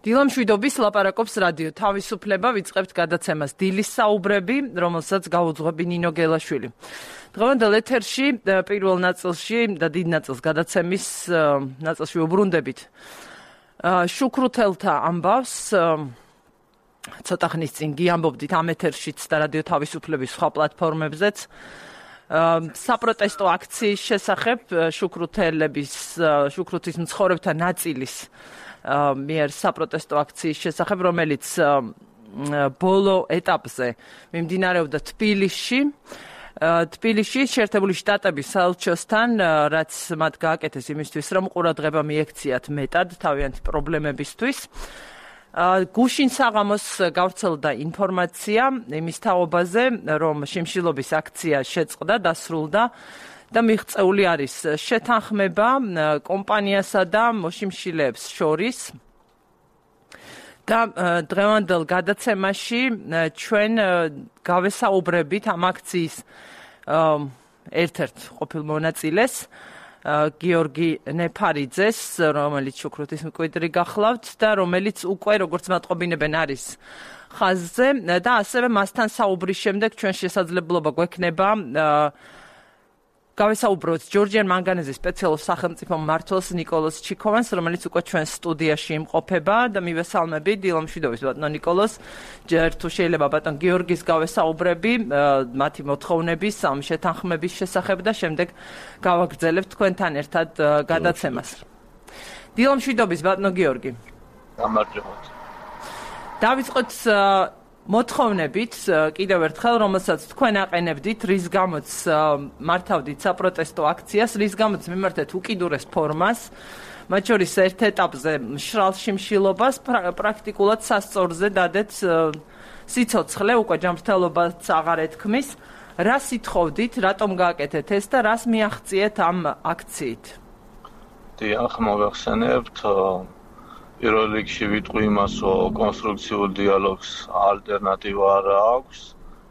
დილამშვიდობის ლაპარაკობს რადიო თავისუფლება, ვიწყებთ გადაცემას დილის საუბრები, რომელსაც გაუძღვები ნინო გელაშვილი. დღევანდელ ეთერში პირველ ნაწილში და დიდ ნაწილს გადაცემის ნაწილში ვუბრუნდებით შუქრუთელთა ამბავს. ცოტა ხნის წინ გიამბობდით ამ ეთერშიც და რადიო თავისუფლების სხვა პლატფორმებზეც საპროტესტო აქციის შესახებ შუქრუთის მცხოვრებთა ნაწილის მიერ საპროტესტო აქციის შესახებ, რომელიც ბოლო ეტაპზე მიმდინარეობდა თბილისში შეერთებული შტატების საელჩოსთან, რაც მათ გააკეთეს იმისთვის, რომ ყურადღება მიექციათ მეტად თავიანთი პრობლემებისთვის. გუშინ საღამოს გავრცელდა ინფორმაცია იმის თაობაზე, რომ შიმშილობის აქცია შეწყდა, დასრულდა და მიღწეული არის შეთანხმება კომპანიასა და მოშიმშილეებს შორის. და დღევანდელ გადაცემაში ჩვენ გავესაუბრებით ამ აქციის ერთ-ერთ ყოფილ მონაწილეს, გიორგი ნეფარიძეს, რომელიც შუქრუთის მკვიდრი გახლავთ და რომელიც უკვე, როგორც მატყობინებენ, არის ხაზზე და ასევე მასთან საუბრის შემდეგ ჩვენ შესაძლებლობა გვექნება გავესაუბროთ ჯორჯიან მანგანეზე სპეციალურ სახელმწიფო მმართველს ნიკოლოზ ჩიქოვანს, რომელიც უკვე ჩვენ სტუდიაში იმყოფება და მივესალმები დილამშვიდობის ბატონო ნიკოლოზ. ჯერ თუ შეიძლება ბატონ გიორგის გავესაუბრები მათი მოთხოვნების ამ შეთანხმების შესახებ და შემდეგ გავაგრძელებთ თქვენთან ერთად გადაცემას. დილამშვიდობის ბატონო გიორგი. გამარჯობათ. დავიწყოთ მოთხოვნებით კიდევ ერთხელ, რომელსაც თქვენ აყენებდით, რის გამოც მართავდით საპროტესტო აქციას, რის გამოც მიმართეთ უკიდურეს ფორმას, მათ შორის ერთ ეტაპზე მშრალ შიმშილობას, პრაქტიკულად სასწორზე დადეთ სიცოცხლე, უკვე ჯანმრთელობაც აღარ ეთქმის. რა სითხოვდით, რატომ გააკეთეთ ეს და რას მიაღწიეთ ამ აქციით? დიახ, მოგახსენებთ, პირველ რიგში ვიტყვი იმას, რომ კონსტრუქციულ დიალოგს ალტერნატივა არ აქვს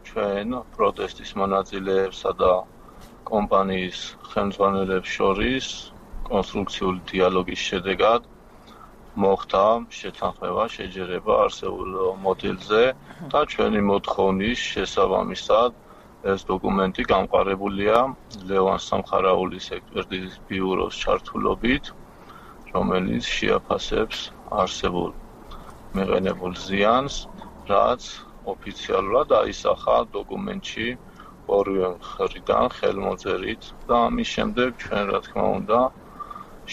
ჩვენ პროტესტის მონაწილეებსა და კომპანიის ხელმძღვანელებს შორის. კონსტრუქციულ დიალოგის შედეგად მოხდა შეთანხმება, შეჯერება არსებულ მოდელზე და ჩვენი მოთხოვნის შესაბამისად ეს დოკუმენტი გამყარებულია ლევან სამხარაულის ექსპერტიზის ბიუროს ჩართულობით, რომელიც შეაფასებს არსებულ მიღებულ ზიანს, რაც ოფიციალურად აისახა დოკუმენტში ორივე მხრიდან ხელმოწერით და ამის შემდეგ ჩვენ რა თქმა უნდა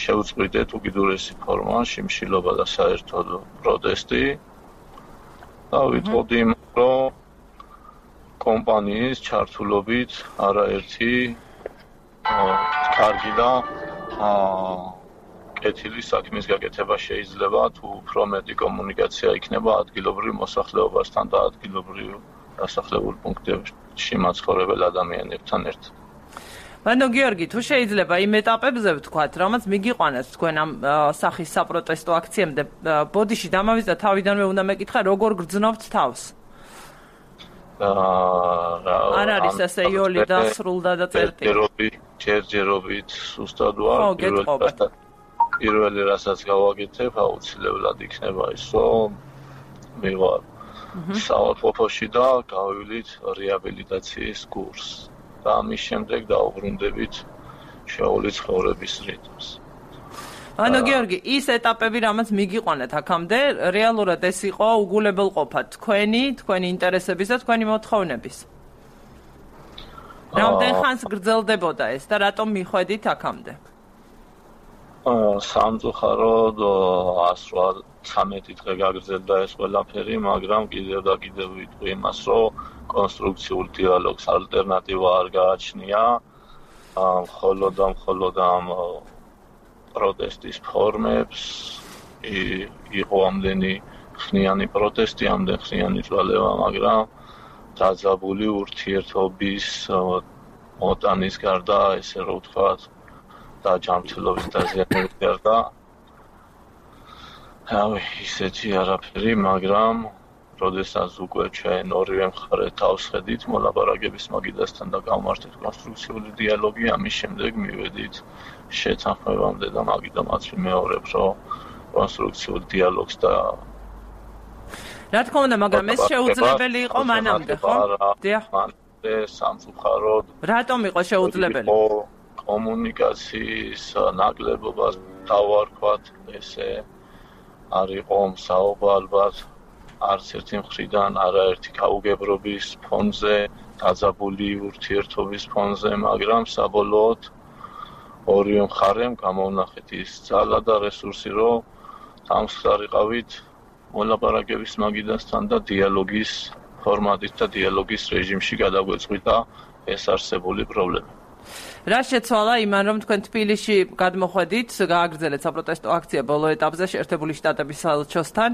შევწყვიტეთ უკიდურესი ფორმა შიმშილობა და საერთოდ პროტესტი და ვიტყოდი, რომ კომპანიის ჩართულობით არაერთი კარგი და კეთილი საქმის გაკეთება შეიძლება თუ უფრო მეტი კომუნიკაცია იქნება ადგილობრივ მოსახლეობასთან და ადგილობრივ დასახლებულ პუნქტებში მაცხოვრებელ ადამიანებთან ერთად. ბატონო გიორგი, თუ შეიძლება იმ ეტაპებზე ვთქვათ, რამაც მიგიყვანეთ თქვენ ამ სახის საპროტესტო აქციამდე, ბოდიში დამავიწყდა თავიდანვე უნდა მეკითხა, როგორ გრძნობთ თავს? არ არის ასე იოლი დასრულდა და წერტილი. ჯერჯერობით სუსტად ვარ. პირველი რასაც გავაკეთებ, აუცილებლად იქნება ის, რომ მივარ საავადმყოფოში და გავივლით რეაბილიტაციის კურსს და ამის შემდეგ დავუბრუნდებით შეეული ცხოვრების რიტმს. ბატონო გიორგი, ის ეტაპები, რამაც მიგიყვანეთ აქამდე, რეალურად ეს იყო უგულებელყოფა თქვენი ინტერესების და თქვენი მოთხოვნების. რამდენ ხანს გრძელდებოდა ეს და რატომ მიხვედით აქამდე? სამწუხაროდ 113 დღე გაგრძელდა ეს ყველაფერი, მაგრამ კიდევ და კიდევ ვიტყვი იმას, რომ კონსტრუქციულ დიალოგს ალტერნატივა არ გააჩნია, მხოლოდ ამ პროტესტის ფორმებს იყო ამდენი ხნიანი პროტესტი, ამდენ ხნიანი წვალება, მაგრამ დაძაბული ურთიერთობის მოტანის გარდა, ესე რომ ვთქვათ, და ჯანმრთელობის დაზიანების გარდა ისეთი არაფერი, მაგრამ როდესაც უკვე ჩვენ ორივე მხარე თავს ხედით მოლაპარაკების მაგიდასთან და გავმართეთ კონსტრუქციული დიალოგი, ამის შემდეგ მივედით შეთანხმებამდე და მაგიდამაც ვიმეორებ, რომ კონსტრუქციულ დიალოგს და რა თქმა უნდა, მაგრამ ეს შეუძლებელი იყო მანამდე, ხო? დიახ. მანამდე სამწუხაროდ. რატომ იყო შეუძლებელი? კომუნიკაციის ნაკლებობა დავარქვათ, ესე არ იყო მსაუბა ალბათ არც ერთი მხრიდან, არაერთი გაუგებრობის ფონზე, დაძაბული ურთიერთობის ფონზე, მაგრამ საბოლოოდ ორივე მხარემ გამოვნახეთ ის ძალა და რესურსი, რომ დამსხარიყავით მოლაპარაკების მაგიდასთან და დიალოგის ფორმატით და დიალოგის რეჟიმში გადაგვეწყვიტა ეს არსებული პრობლემა. რა შეცვალა იმან, რომ თქვენ თბილისში გადმოხვედით, გააგრძელეთ საპროტესტო აქცია ბოლო ეტაპზე შეერთებული შტატების საელჩოსთან.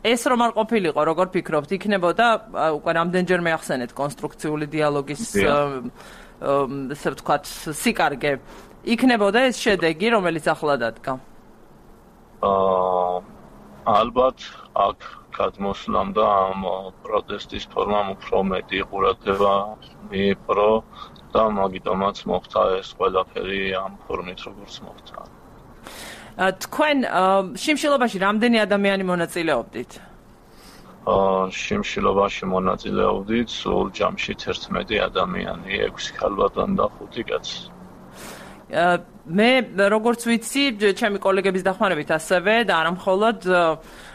ეს რომ არ ყოფილიყო, როგორ ფიქრობთ, იქნებოდა უკვე რამდენჯერმე ახსენეთ კონსტრუქციული დიალოგის ესე ვთქვათ, სიკარგე. იქნებოდა ეს შედეგი, რომელიც ახლა დადგა? ალბათ აქ გადმოსვლამ და ამ პროტესტის ფორმამ უფრო მეტი ყურადღება მიიპყრო და მაგიტომაც მოხდა ეს ყველაფერი ამ ფორმით, როგორც მოხდა. თქვენ შიმშილობაში რამდენი ადამიანი მონაწილეობდით? შიმშილობაში მონაწილეობდით სულ ჯამში 11 ადამიანი, 6 ქალბატონი და 5 კაცი. მე როგორც ვიცი, ჩემი კოლეგების დახმარებით ასევე და არა მხოლოდ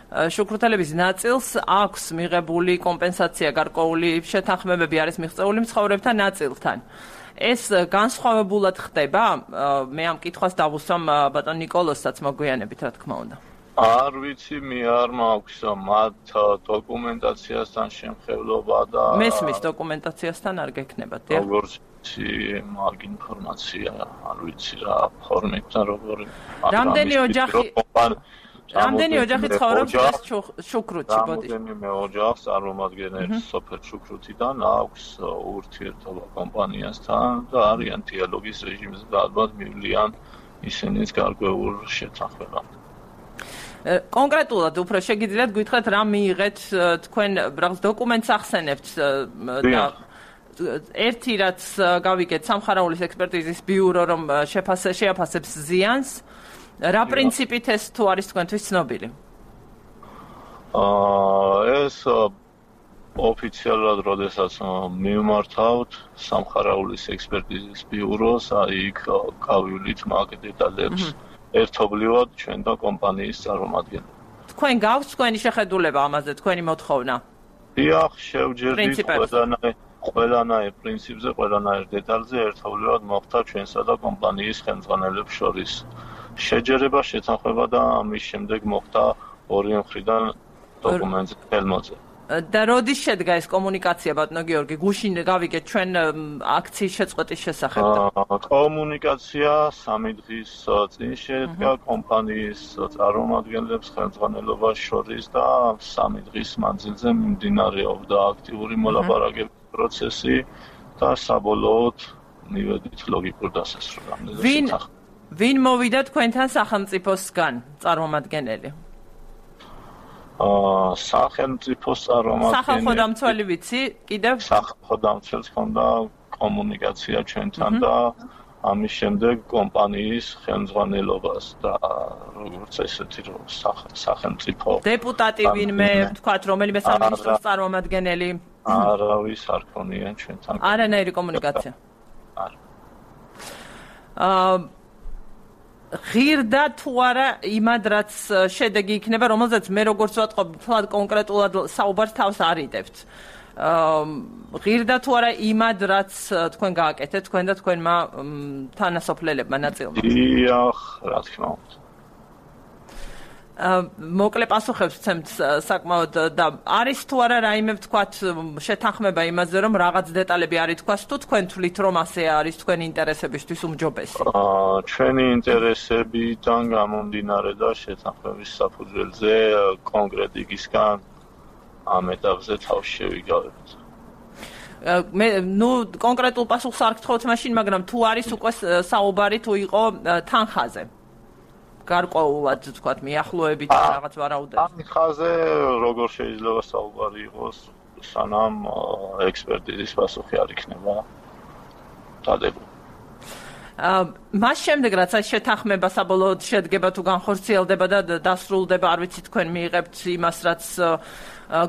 შუქრუთელების ნაწილს აქვს მიღებული კომპენსაცია, გარკვეული შეთანხმებები არის მიღწეული მცხოვრებთა ნაწილთან. ეს განსხვავებულად ხდება? მე ამ კითხვას დავუსვამ ბატონ ნიკოლოზსაც მოგვიანებით, რა თქმა უნდა. არ ვიცი, მე არ მაქვს მათ დოკუმენტაციასთან შემხევლობა და მესმის დოკუმენტაციასთან არ გექნებათ, დიახ? როგორც მაგ ინფორმაცია, არ ვიცი რა ფორმით და როგორი. რამდენი ოჯახი ცხოვრობს ეს შუქრუთში, ბოდი? რამდენიმე ოჯახს წარმომადგენლებს სოფელ შუქრუთიდან აქვს ურთიერთობა კომპანიასთან და არიან დიალოგის რეჟიმზე და ალბათ მივლიან ისინიც გარკვეულ შეთანხმებამდე. კონკრეტულად უფრო შეგიძლიათ გითხრათ რა მიიღეთ თქვენ რაღაც დოკუმენტს ახსენებთ და ერთი რაც გავიგეთ სამხარაულის ექსპერტიზის ბიურო რომ შეაფასებს ზიანს რა პრინციპით ეს თუ არის თქვენთვის ცნობილი? ეს ოფიციალურად როდესაც მივმართავთ სამხარაულის ექსპერტიზის ბიუროს, იქ გავივლით მაგ დეტალებს ერთობლივად ჩვენ და კომპანიის წარმომადგენლები. თქვენ გაქვთ თქვენი შეხედულება ამაზე, თქვენი მოთხოვნა? დიახ, შევჯერდით ყველანაირ პრინციპზე, ყველანაირ დეტალზე ერთობლივად მოხდა ჩვენსა და კომპანიის ხელმძღვანელებს შორის შეჯერება, შეთანხმება და ამის შემდეგ მოხდა ორივე მხრიდან დოკუმენტის ხელმოწერა. და როდის შედგა ეს კომუნიკაცია, ბატონო გიორგი? გუშინ გავიგეთ ჩვენ აქციის შეწყვეტის შესახებ. კომუნიკაცია 3 დღის წინ შედგა კომპანიის წარმომადგენლებს ხელმძღვანელობას შორის და 3 დღის მანძილზე მიმდინარეობდა აქტიური მოლაპარაკების პროცესი და საბოლოოდ მივედით ლოგიკურ დასასრულამდე. ვინ მოვიდა თქვენთან სახელმწიფოსგან წარმომადგენელი? სახელმწიფოს წარმომადგენელი. სახალხო დამცველი ვიცი, კიდევ? სახალხო დამცველს ჰქონდა კომუნიკაცია ჩვენთან და ამის შემდეგ კომპანიის ხელმძღვანელობას და როგორც ესეთი რომ სახელმწიფო დეპუტატი ვინმე, ვთქვათ, რომელიმე სამინისტროს წარმომადგენელი? არავის არ ქონია ჩვენთან. არანაირი კომუნიკაცია. არა. ღირდა თუ არა იმად რაც შედეგი იქნება, რომელზეც მე როგორც ვატყობ, თლად კონკრეტულად საუბარს თავს არიდებთ. ღირდა თუ არა იმად რაც თქვენ გააკეთეთ, თქვენ და თქვენმა თანასოფლელებმა ნაწილმა? დიახ, რა თქმა უნდა. მოკლე პასუხებს ვცემთ საკმაოდ და არის თუ არა რაიმე ვთქვათ შეთანხმება იმაზე რომ რაღაც დეტალები არ ითქვას თუ თქვენ თვლით რომ ასე არის თქვენი ინტერესებისთვის უმჯობესი? ჩვენი ინტერესებიდან გამომდინარე და შეთანხმების საფუძველზე კონკრეტიკისგან ამ ეტაპზე თავს შევიგავებთ. მე კონკრეტულ პასუხს არ გთხოვთ მაშინ, მაგრამ თუ არის უკვე საუბარი თუ იყო თანხაზე? გარკვეულად ვთქვათ მიახლოებით რაღაც ვარაუდებს. თანხაზე როგორ შეიძლება საუბარი იყოს, სანამ ექსპერტიზის პასუხი არ იქნება დადებული. მას შემდეგ რაც აი შეთანხმება საბოლოოდ შედგება თუ განხორციელდება და დასრულდება, არ ვიცი თქვენ მიიღებთ იმას, რაც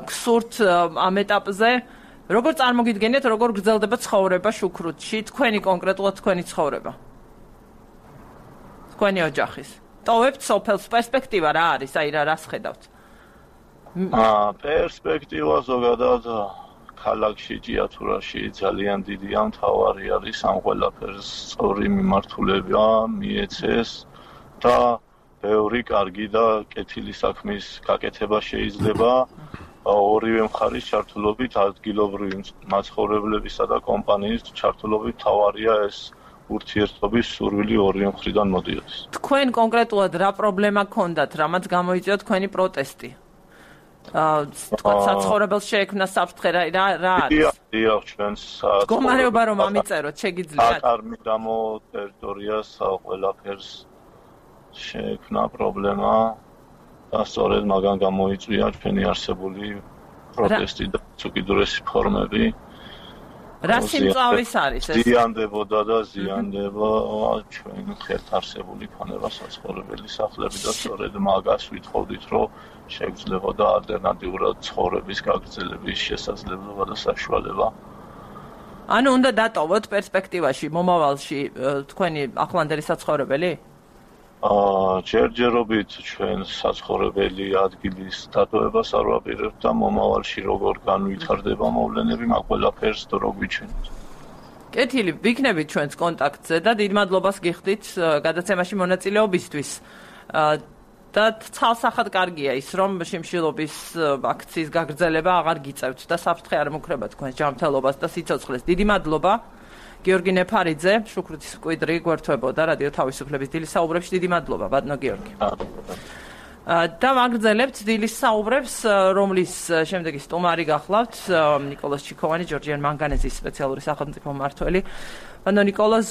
გსურთ ამ ეტაპზე, როგორ წარმოგიდგენიათ, როგორ გრძელდება ცხოვრება შუქრუთში, თქვენი კონკრეტულად თქვენი ცხოვრება? თქვენი ოჯახის. ტოვებთ სოფელს, პერსპექტივა რა არის, აი რას ხედავთ? პერსპექტივა ზოგადად ქალაქში, ჭიათურაში ძალიან დიდია, მთავარი არის ამ ყველაფერს სწორი მიმართულება მიეცეს და ბევრი კარგი და კეთილი საქმის გაკეთება შეიძლება ორივე მხარის ჩართულობით, ადგილობრივი მაცხოვრებლებისა და კომპანიის ჩართულობით. მთავარია ეს ურთიერთობის სურვილი ორივე მხრიდან მოდიოდეს. თქვენ კონკრეტულად რა პრობლემა გქონდათ, რამაც გამოიწვია თქვენი პროტესტი? თქვა საცხოვრებელს შეექმნა საფრთხე რა არის? დიახ, ჩვენს მდგომარეობა რომ ამიწეროთ, შეგიძლიათ? აკარმიდამო ტერიტორიას ყველაფერს შეექმნა პრობლემა და სწორედ მაგან გამოიწვია ჩვენი არსებული პროტესტი და უკიდურესი ფორმები. რა სიმწავის არის ეს? ზიანდებოდა და ზიანდება ჩვენ ხელთ არსებული ფანება საცხოვრებელი სახლები და სწორედ მაგას ვითხოვდით, რომ შეგვიძლებოდა ალტერნატიურად ცხოვრების გაგრძელების შესაძლებლობა და საშუალება. ანუ უნდა დატოვოთ პერსპექტივაში, მომავალში თქვენი ახლანდელი საცხოვრებელი? ჯერჯერობით ჩვენ საცხოვრებელი ადგილის დატოვებას არ ვაპირებთ და მომავალში როგორ განვითარდება მოვლენები, მაგ ყველაფერს დრო გვიჩვენოთ. კეთილი, ვიქნებით ჩვენს კონტაქტზე და დიდ მადლობას გიხდით გადაცემაში მონაწილეობისთვის. და ცალსახად კარგია ის, რომ შიმშილობის აქციის გაგრძელება აღარ გიწევთ და საფრთხე არ მუქრება თქვენს ჯანმრთელობას და სიცოცხლეს. დიდი მადლობა. გიორგი ნეფარიძე, შუქრუთის მკვიდრი გვერდთვებოდა რადიო თავისუფლების დილის საუბრებში. დიდი მადლობა, ბატონო გიორგი. და ვაგრძელებთ დილის საუბრებს, რომლის შემდეგი სტუმარი გახლავთ ნიკოლოზ ჩიქოვანი, ჯორჯიან მანგანეზის სპეციალური სახელმწიფო მმართველი. ანუ ნიკოლოზ,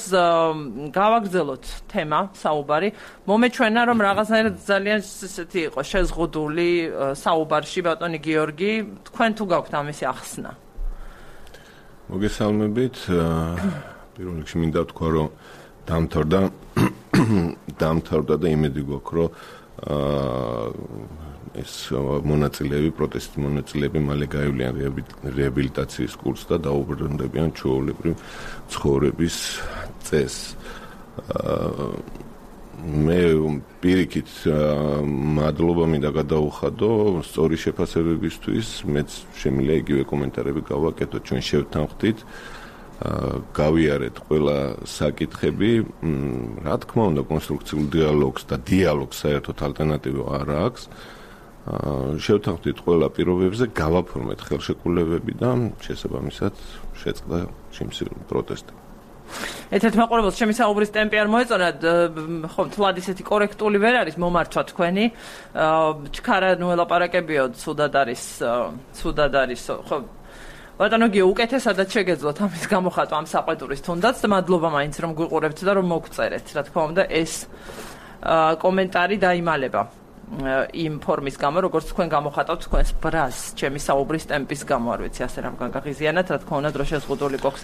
გავაგრძელოთ თემა, საუბარი. მომეჩვენა, რომ რაღაცნაირად ძალიან ესეთი იყო შეზღუდული საუბარში ბატონი გიორგი, თქვენ თუ გაქვთ ამისი ახსნა? მოგესალმებით. პირველ რიგში მინდა ვთქვა, რომ დამთავრდა და იმედი გვაქვს, რომ ეს მონაწილეები, პროტესტის მონაწილეები მალე გაივლიან რეაბილიტაციის კურსს და დაუბრუნდებიან ჩვეულებრივ ცხოვრების წესს. მე პირიქით მადლობა მინდა გადაუხადო სწორი შეფასებებისთვის. მეც შემიძლია იგივე კომენტარები გავაკეთო, ჩვენ შევთანხმდით, გავიარეთ ყველა საკითხები. რა თქმა უნდა, კონსტრუქციულ დიალოგს და დიალოგს საერთოდ ალტერნატივა არ აქვს. შევთანხმდით ყველა პირობებზე, გავაფორმეთ ხელშეკრულებები და შესაბამისად შეწყდა შიმშილობის პროტესტი. ერთ-ერთ მაყურებელს ჩემი საუბრის ტემპი არ მოეწონა, ხო, თლად ისეთი კორექტული ვერ არის მომართვა თქვენი. ჩქარა ნუ ელაპარაკებიოდ, ცუდად არის, ხო. ბატონო გიო, უკეთესადაც შეგეძლოთ ამის გამოხატვა ამ საყვედურის თუნდაც და მადლობა მაინც რომ გვიყურებთ და რომ მოგწერეთ. რა თქმა უნდა, ეს კომენტარი დაიმალება იმ ფორმის გამო, როგორც თქვენ გამოხატავთ თქვენს ბრაზს, ჩემი საუბრის ტემპის გამო, არ ვიცი, ასე რამგან გაღიზიანათ, რა თქმა უნდა, დრო შეზღუდული გვაქვს.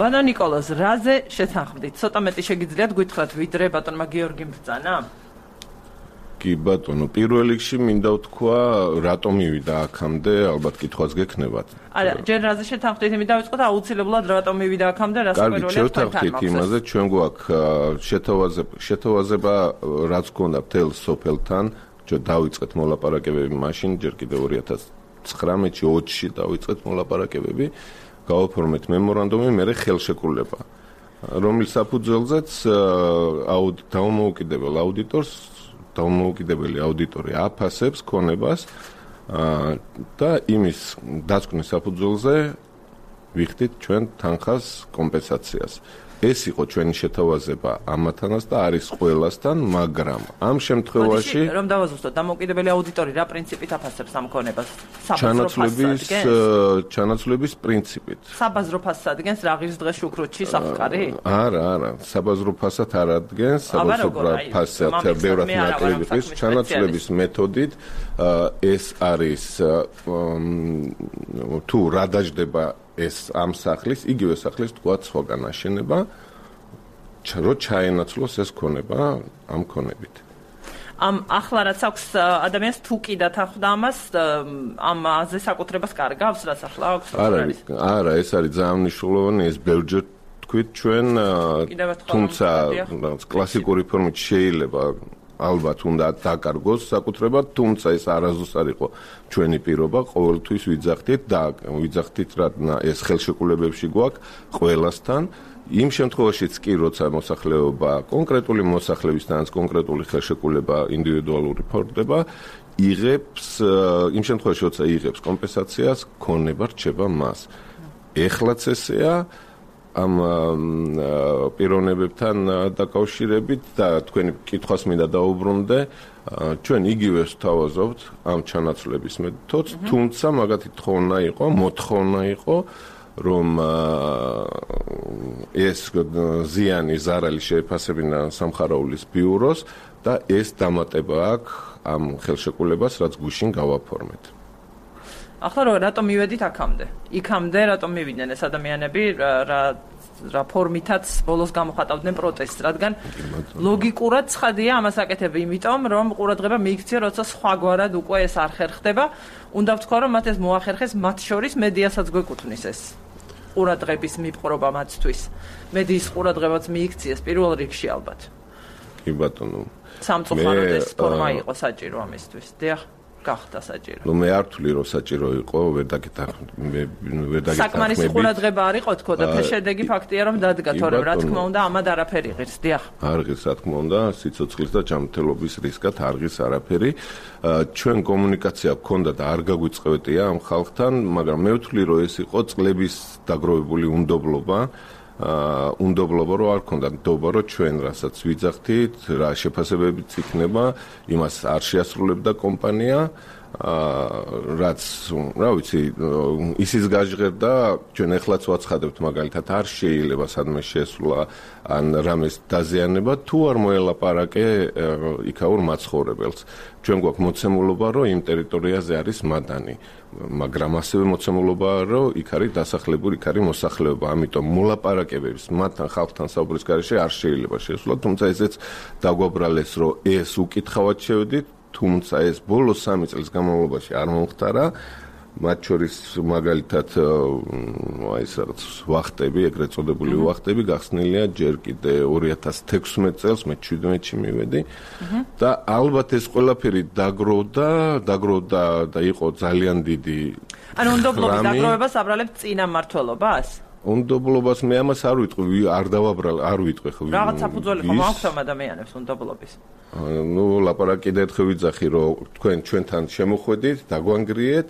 ბატონო ნიკოლოზ, რაზე შეთანხმდით? ცოტა მეტი შეგიძლიათ გითხრათ, ვიდრე ბატონმა გიორგიმ ბრძანა? კი ბატონო, პირველ რიგში მინდა ვთქვა, რატომ მივიდა აქამდე, ალბათ კითხვაც გექნებათ. არა, ჯერ რაზე შეთანხმდით, იმით დავიწყოთ, აუცილებლად რატომ მივიდა აქამდე, რა საკვირველია თქვენთან მაქვს. შევთანხმდით იმაზე, ჩვენ გვაქვს შეთავაზება, რაც გქონდა მთელ სოფელთან, დავიწყეთ მოლაპარაკებები მაშინ, ჯერ კიდევ 2019-ში, 20-ში დავიწყეთ მოლაპარაკებები, გავაფორმეთ მემორანდუმი, მერე ხელშეკრულება, რომლის საფუძველზეც დაუმოუკიდებელ აუდიტორს დაუმოუკიდებელი აუდიტორი აფასებს ქონებას და იმის დაწკნის საფუძველზე ვიხდით ჩვენ თანხას კომპენსაციას. ეს იყო ჩვენი შეთავაზება ამათანაც და არის ყველასთან, მაგრამ ამ შემთხვევაში რომ დავაზუსტოთ, დამოუკიდებელი აუდიტორი რა პრინციპით აფასებს ამ ქონებას? ჩანაცვლების პრინციპით. საბაზრო ფასს ადგენს რაღის დღე შუქრუთში საფკარი? არა, საბაზრო ფასად არ ადგენს, საბაზრო ფასად ბევრად ნაკლები ხის ჩანაცვლების მეთოდით ეს არის თუ რა დაждდება ეს ამ სახლის, იგივე სახლის თქვა სხვაგან აშენება რომ ჩაენაცვლოს ეს ქონება ამ ქონებით. ახლა რაც აქვს ადამიანს თუ კი დათანხმდა ამას ამაზე საკუთრებას კარგავს რაც ახლა აქვს არა ეს არის ძალიან მნიშვნელოვანი ეს ბევრჯერ თქვით ჩვენ თუმცა კლასიკური ფორმით შეიძლება ალბათ უნდა დაკარგოს საკუთრება თუმცა ეს არასდროს არ იყო ჩვენი პირობა ყოველთვის ვიძახდით რა ეს ხელშეკრულებებში გვაქვს ყველასთან იმ შემთხვევაშიც კი როცა მოსახლეობა კონკრეტული მოსახლეებისთანაც კონკრეტული ხელშეკრულება ინდივიდუალური ფორდება იღებს იმ შემთხვევაში როცა იღებს კომპენსაციას ქონება რჩება მას ეხლაც ესეა ამ პიროვნებებთან დაკავშირებით და თქვენი კითხვას მინდა დაუბრუნდე ჩვენ იგივეს ვთავაზობთ ამ ჩანაცვლების მეთოდს თუმცა მაგათი მოთხოვნა იყო რომ ეს ზიანი ზარალი შეეფასებინა სამხარაულის ბიუროს და ეს დამატება აქვს ამ ხელშეკრულებას რაც გუშინ გავაფორმეთ. ახლა რატომ მივედით იქამდე რატომ მივიდნენ ეს ადამიანები რა ფორმითაც ბოლოს გამოხატავდნენ პროტესტს რადგან ლოგიკურად ცხადია ამას აკეთებ იმიტომ რომ ყურადღება მიიქცია როცა სხვაგვარად უკვე ეს არ ხერხდება უნდა ვთქვა რომ მათ ეს მოახერხეს მათ შორის მედიასაც გვეკუთვნის ეს ყურადღების მიპყრობა მათთვის მედიის ყურადღებაც მიიქციეს პირველ რიგში ალბათ კი ბატონო სამწუხაროდ ეს ფორმა იყო საჭირო ამისთვის დიახ გახდა საჭირო. მე არ ვთვლი რომ საჭირო იყო, ვერ დაგეთანხმები. საკმარისი ყურადღება არ იყო თქო და შედეგი ფაქტია რომ დადგა, თორემ რა თქმა უნდა ამად არაფერი ღირს, დიახ. არ ღირს, რა თქმა უნდა, სიცოცხლის და ჯანმრთელობის რისკად არ ღირს არაფერი. ჩვენ კომუნიკაცია გქონდა და არ გაგვიწყევეთია ამ ხალხთან, მაგრამ მე ვთვლი რომ ეს იყო წლების დაგროვებული უნდობლობა. უნდობლობა რო არ ქონდა ნდობა რომ ჩვენ რასაც ვიძახდით რა შეფასებებიც იქნება იმას არ შეასრულებდა კომპანია რაც რა ვიცი ისიც გაჟღერდა ჩვენ ეხლაც ვაცხადებთ მაგალითად არ შეიძლება სადმე შეესრულა ან რამეს დაზიანება თუ არ მოელაპარაკე იქაურ მაცხოვრებელს ჩვენ გვაქვს მოცემულობა რომ იმ ტერიტორიაზე არის მადანი მაგრამ ასევე მოცემულობაა რომ იქ არის დასახლებული იქ არის მოსახლეობა ამიტომ მოლაპარაკებების მათთან ხალხთან საუბრის გარეშე არ შეიძლება შეესრულა თუმცა ესეც დაგვაბრალეს რომ ეს უკითხავად შევედით თუმცა ეს ბოლოს 3 წლის განმავლობაში არ მომხდარა მათ შორის მაგალითად ეს რაღაც ვახტები ეგრეთ წოდებული ვახტები გახსნილია ჯერ კიდე 2016 წელს მე 17-ში მივედი და ალბათ ეს ყველაფერი დაგროვდა და იყო ძალიან დიდი ანუ უნდობლობის დაგროვებას აბრალებთ წინა მმართველობას უნდობლობას მე ამას არ ვიტყვი არ ვიტყვი ხო რაღაც საფუძველი ხომ აქვს ამ ადამიანებს უნდობლობის ნუ ლაპარაკი დაერთხე ვიძახი რომ თქვენ ჩვენთან შემოხვედით დაგვანგრიეთ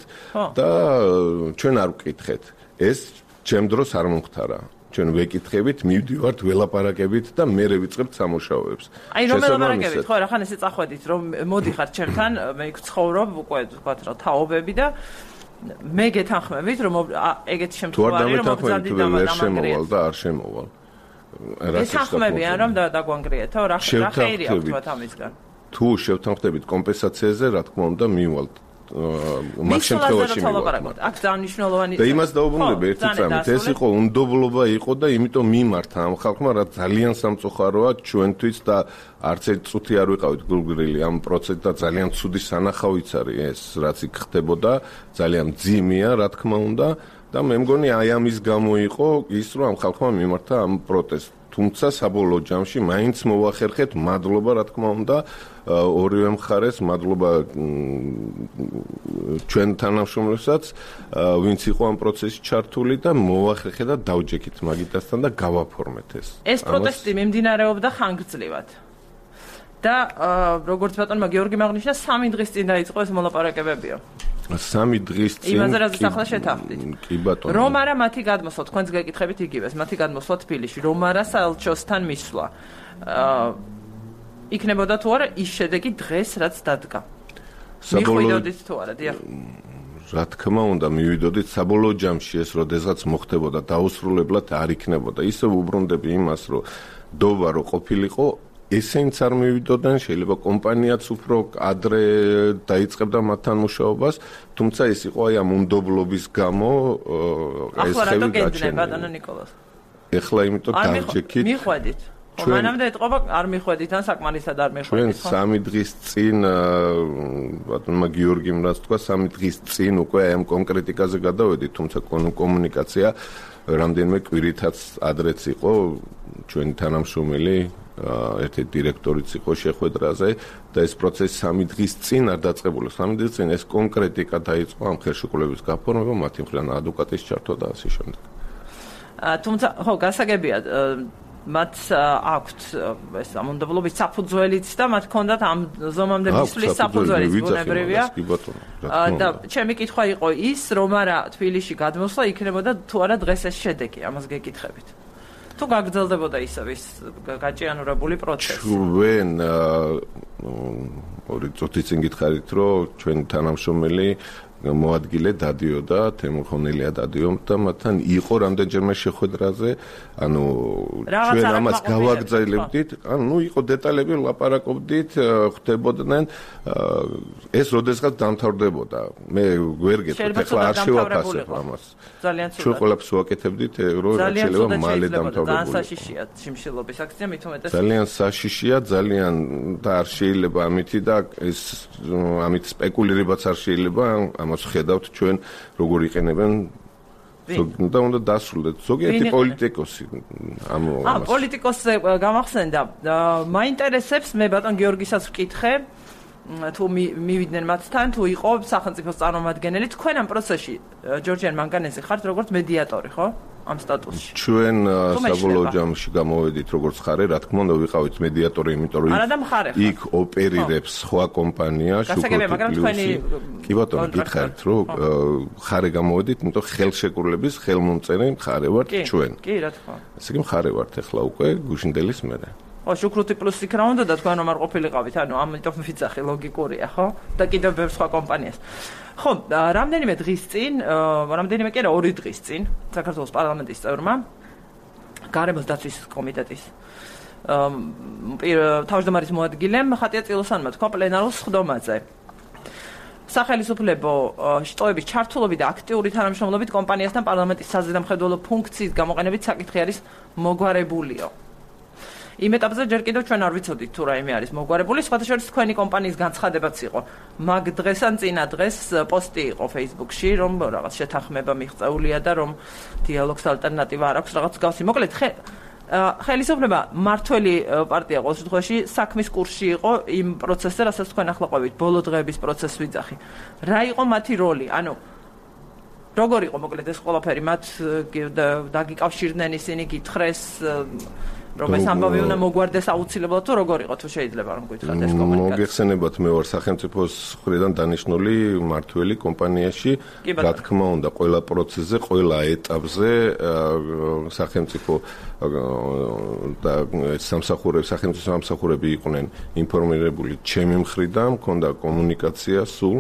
და ჩვენ არ ვკითხეთ ეს ჩემ დროს არ მომხდარა ჩვენ ვეკითხებით მივდივართ ველაპარაკებით და მე ვიწყებთ სამუშაოებს აი რომ ველაპარაკებით ხო რახან ესე წახვედით რომ მოდიხარ ჩემთან მე ცხოვრობ უკვე ვთქვათ რა თაობები და მე გეთანხმებით რომ ეგეთი შემთხვევაში რომ მოგზავნით შემოვალ და არ შემოვალ გეთანხმებიან რომ დაგვანგრიეთო რა ხეირია ვთქვათ ამისგან თუ შევთანხმდებით კომპენსაციაზე რა თქმა უნდა მივალთ მაგ შემთხვევაში მივვალთ აქ ძალიან მნიშვნელოვანი და იმას დაუბრუნდები ერთი წამით ეს იყო უნდობლობა იყო და იმიტომ მიმართა ამ ხალხმა რა ძალიან სამწუხაროა ჩვენთვის და არც ერთ წუთი არ ვიყავით გულგრილი ამ პროცესში და ძალიან ცუდი სანახავიც არის ეს რაც იქ ხდებოდა ძალიან მძიმეა რა თქმა უნდა და მე მგონი აი ამის გამო იყო ის რომ ამ ხალხმა მიმართა ამ პროტესტს თუმცა საბოლოო ჯამში მაინც მოახერხეთ მადლობა რა თქმა უნდა ორივე მხარეს მადლობა ჩვენ თანამშრომლებსაც ვინც იყო ამ პროცესში ჩართული და მოახერხეთ და დავჯექით მაგიტასთან და გავაფორმეთ ეს პროტესტი მიმდინარეობდა ხანგრძლივად და როგორც ბატონმა გიორგიმ აღნიშნა 3 დღის წინ დაიწყო ეს მოლაპარაკებებიო 3 დღის წინ იმაზე რაც ახლა შეთანხმდით კი ბატონო რომ არა მათი გადმოსვლა თქვენს გეკითხებით იგივეს მათი გადმოსვლა თბილისში რომ არა საელჩოსთან მისვლა იქნებოდა თუ არა ის შედეგი დღეს რაც დადგა მივიდოდით თუ არა დიახ რა თქმა უნდა მივიდოდით საბოლოო ჯამში ეს როდესაც მოხდებოდა დაუსრულებლად არ იქნებოდა ისე უბრუნდები იმას რომ დობა რო ყოფილიყო ესენც არ მივიდოდნენ შეიძლება კომპანიაც უფრო ადრე დაიწყებდა მათთან მუშაობას თუმცა ეს იყო აი ამ უნდობლობის გამო ეს ხევი გაჩენილი ბატონო ნიკოლას ეხლა იმიტომ დავჯექით მიხვედით მანამდე ეთყობა არ მიხვედით ან საკმარისად არ მიხვედით, ხო? ჩვენ 3 დღის წინ ბატონმა გიორგიმ რაც თქვა 3 დღის წინ უკვე ამ კონკრეტიკაზე გადავედით, თუმცა კომუნიკაცია რამდენიმე კვირითაც ადრეც იყო ჩვენი თანამშრომელი ერთ-ერთი დირექტორიც იყო შეხვედრაზე და ეს პროცესი 3 დღის წინ არ დაწყებულა. 3 დღის წინ ეს კონკრეტიკა დაიწყო ამ ხელშეკრულების გაფორმება, მათი მხრიდან ადვოკატის ჩართვა და ასე შემდეგ. თუმცა ხო, გასაგებია მათ აქვთ ეს ამონდებლობის საფუძველიც და მათ ჰქონდათ ამ ზომამდე მისვლის საფუძველიც ბუნებრივია. და ჩემი კითხვა იყო ის, რომ არა თბილისში გადმოსვლა იქნებოდა თუ არა დღეს ეს შედეგი, ამას გეკითხებით. თუ გაგრძელდებოდა ისევ ის გაჭიანურებული პროცესი. ჩვენ ორი წუთით წინ გითხარით, რომ ჩვენი თანამშრომელი მოადგილე დადიოდა, თემურ ხონელია დადიოდა, მათთან იყო რამდენჯერმე შეხვედრაზე, ანუ ჩვენ ამას გავაგრძელებდით, ანუ იყო დეტალები ლაპარაკობდით, ხდებოდნენ, ეს როდესღაც დამთავრდებოდა. მე ვერ გეტყვით, ახლა არ შევაფასებ ამას. ჩვენ ყველაფერს ვაკეთებდით, რომ რაც შეიძლება მალე დამთავრდებოდა. ძალიან საშიშია შიმშილობის აქცია, მით უმეტეს. ძალიან საშიშია, ძალიან და არ შეიძლება ამითი და ეს ამით სპეკულირებაც არ შეიძლება. ხედავთ ჩვენ როგორ იყენებენ და უნდა დასრულდეს ზოგიერთი პოლიტიკოსი ამას. პოლიტიკოსზე გამახსენდა. მაინტერესებს მე ბატონ გიორგისაც ვკითხე თუ მივიდნენ მათთან თუ იყო სახელმწიფოს წარმომადგენელი თქვენ ამ პროცესში ჯორჯიან მანგანეზე ხართ როგორც მედიატორი ხო? ამ სტატუსში. ჩვენ საბოლოო ჯამში გამოვედით როგორც ხარე, რა თქმა უნდა ვიყავით მედიატორი, იმიტომ რომ იქ ოპერირებს სხვა კომპანია, შუქროტიპლუსი. კი ბატონო, გითხარით, რომ ხარე გამოვედით, იმიტომ ხელშეკრულების ხელმომწერი მხარე ვართ ჩვენ. კი, რა თქმა. ესე იგი მხარე ვართ ახლა უკვე გუშინდელის მერე. ხო, შუქროტიპლუსი რა უნდა და თქვენ რომ არ ყოფილიყავით, ანუ ამიტომ ვიძახი ლოგიკურია, ხო? და კიდევ ბევრ სხვა კომპანიას. ხო, რამდენიმე დღის წინ, რამდენიმე კი არა 2 დღის წინ საქართველოს პარლამენტის წევრმა გარემოს დაცვის კომიტეტის თავმჯდომარის მოადგილემ ხატია წილოსანმა თქვა პლენარულ სხდომაზე. სახელმწიფო შტოების ჩართულობით და აქტიური თანამშრომლობით კომპანიასთან პარლამენტის საზედამხედველო ფუნქციის გამოყენებით საკითხი არის მოგვარებულიო. იმ ეტაპზე ჯერ კიდევ ჩვენ არ ვიცოდით თუ რაიმე არის მოგვარებული, სხვათა შორის თქვენი კომპანიის განცხადებაც იყო. მაგ დღეს ან წინა დღეს პოსტი იყო Facebook-ში, რომ რაღაც შეთანხმება მიღწეულია და რომ დიალოგს ალტერნატივა არ აქვს, რაღაც გავსი. მოკლედ ხელისუფლება მართველი პარტია ყოველ შემთხვევაში საქმის კურსში იყო იმ პროცესზე, რასაც თქვენ ახლა ყვებით, ბოლო დღეების პროცესს ვიძახი. რა იყო მათი როლი? ანუ როგორ იყო მოკლედ ეს ყველაფერი? მათ დაგიკავშირდნენ ისინი, გითხრეს რომ ეს ამბავი უნდა მოგვარდეს აუცილებლად თუ როგორ იყო თუ შეიძლება რომ გითხრათ ეს კომუნიკაცია. მოგეხსენებათ მე ვარ სახელმწიფოს მხრიდან დანიშნული მართველი კომპანიაში, რა თქმა უნდა ყველა პროცესზე, ყველა ეტაპზე სახელმწიფო და სახელმწიფო სამსახურები იყვნენ ინფორმირებული ჩემი მხრიდან, მქონდა კომუნიკაცია სულ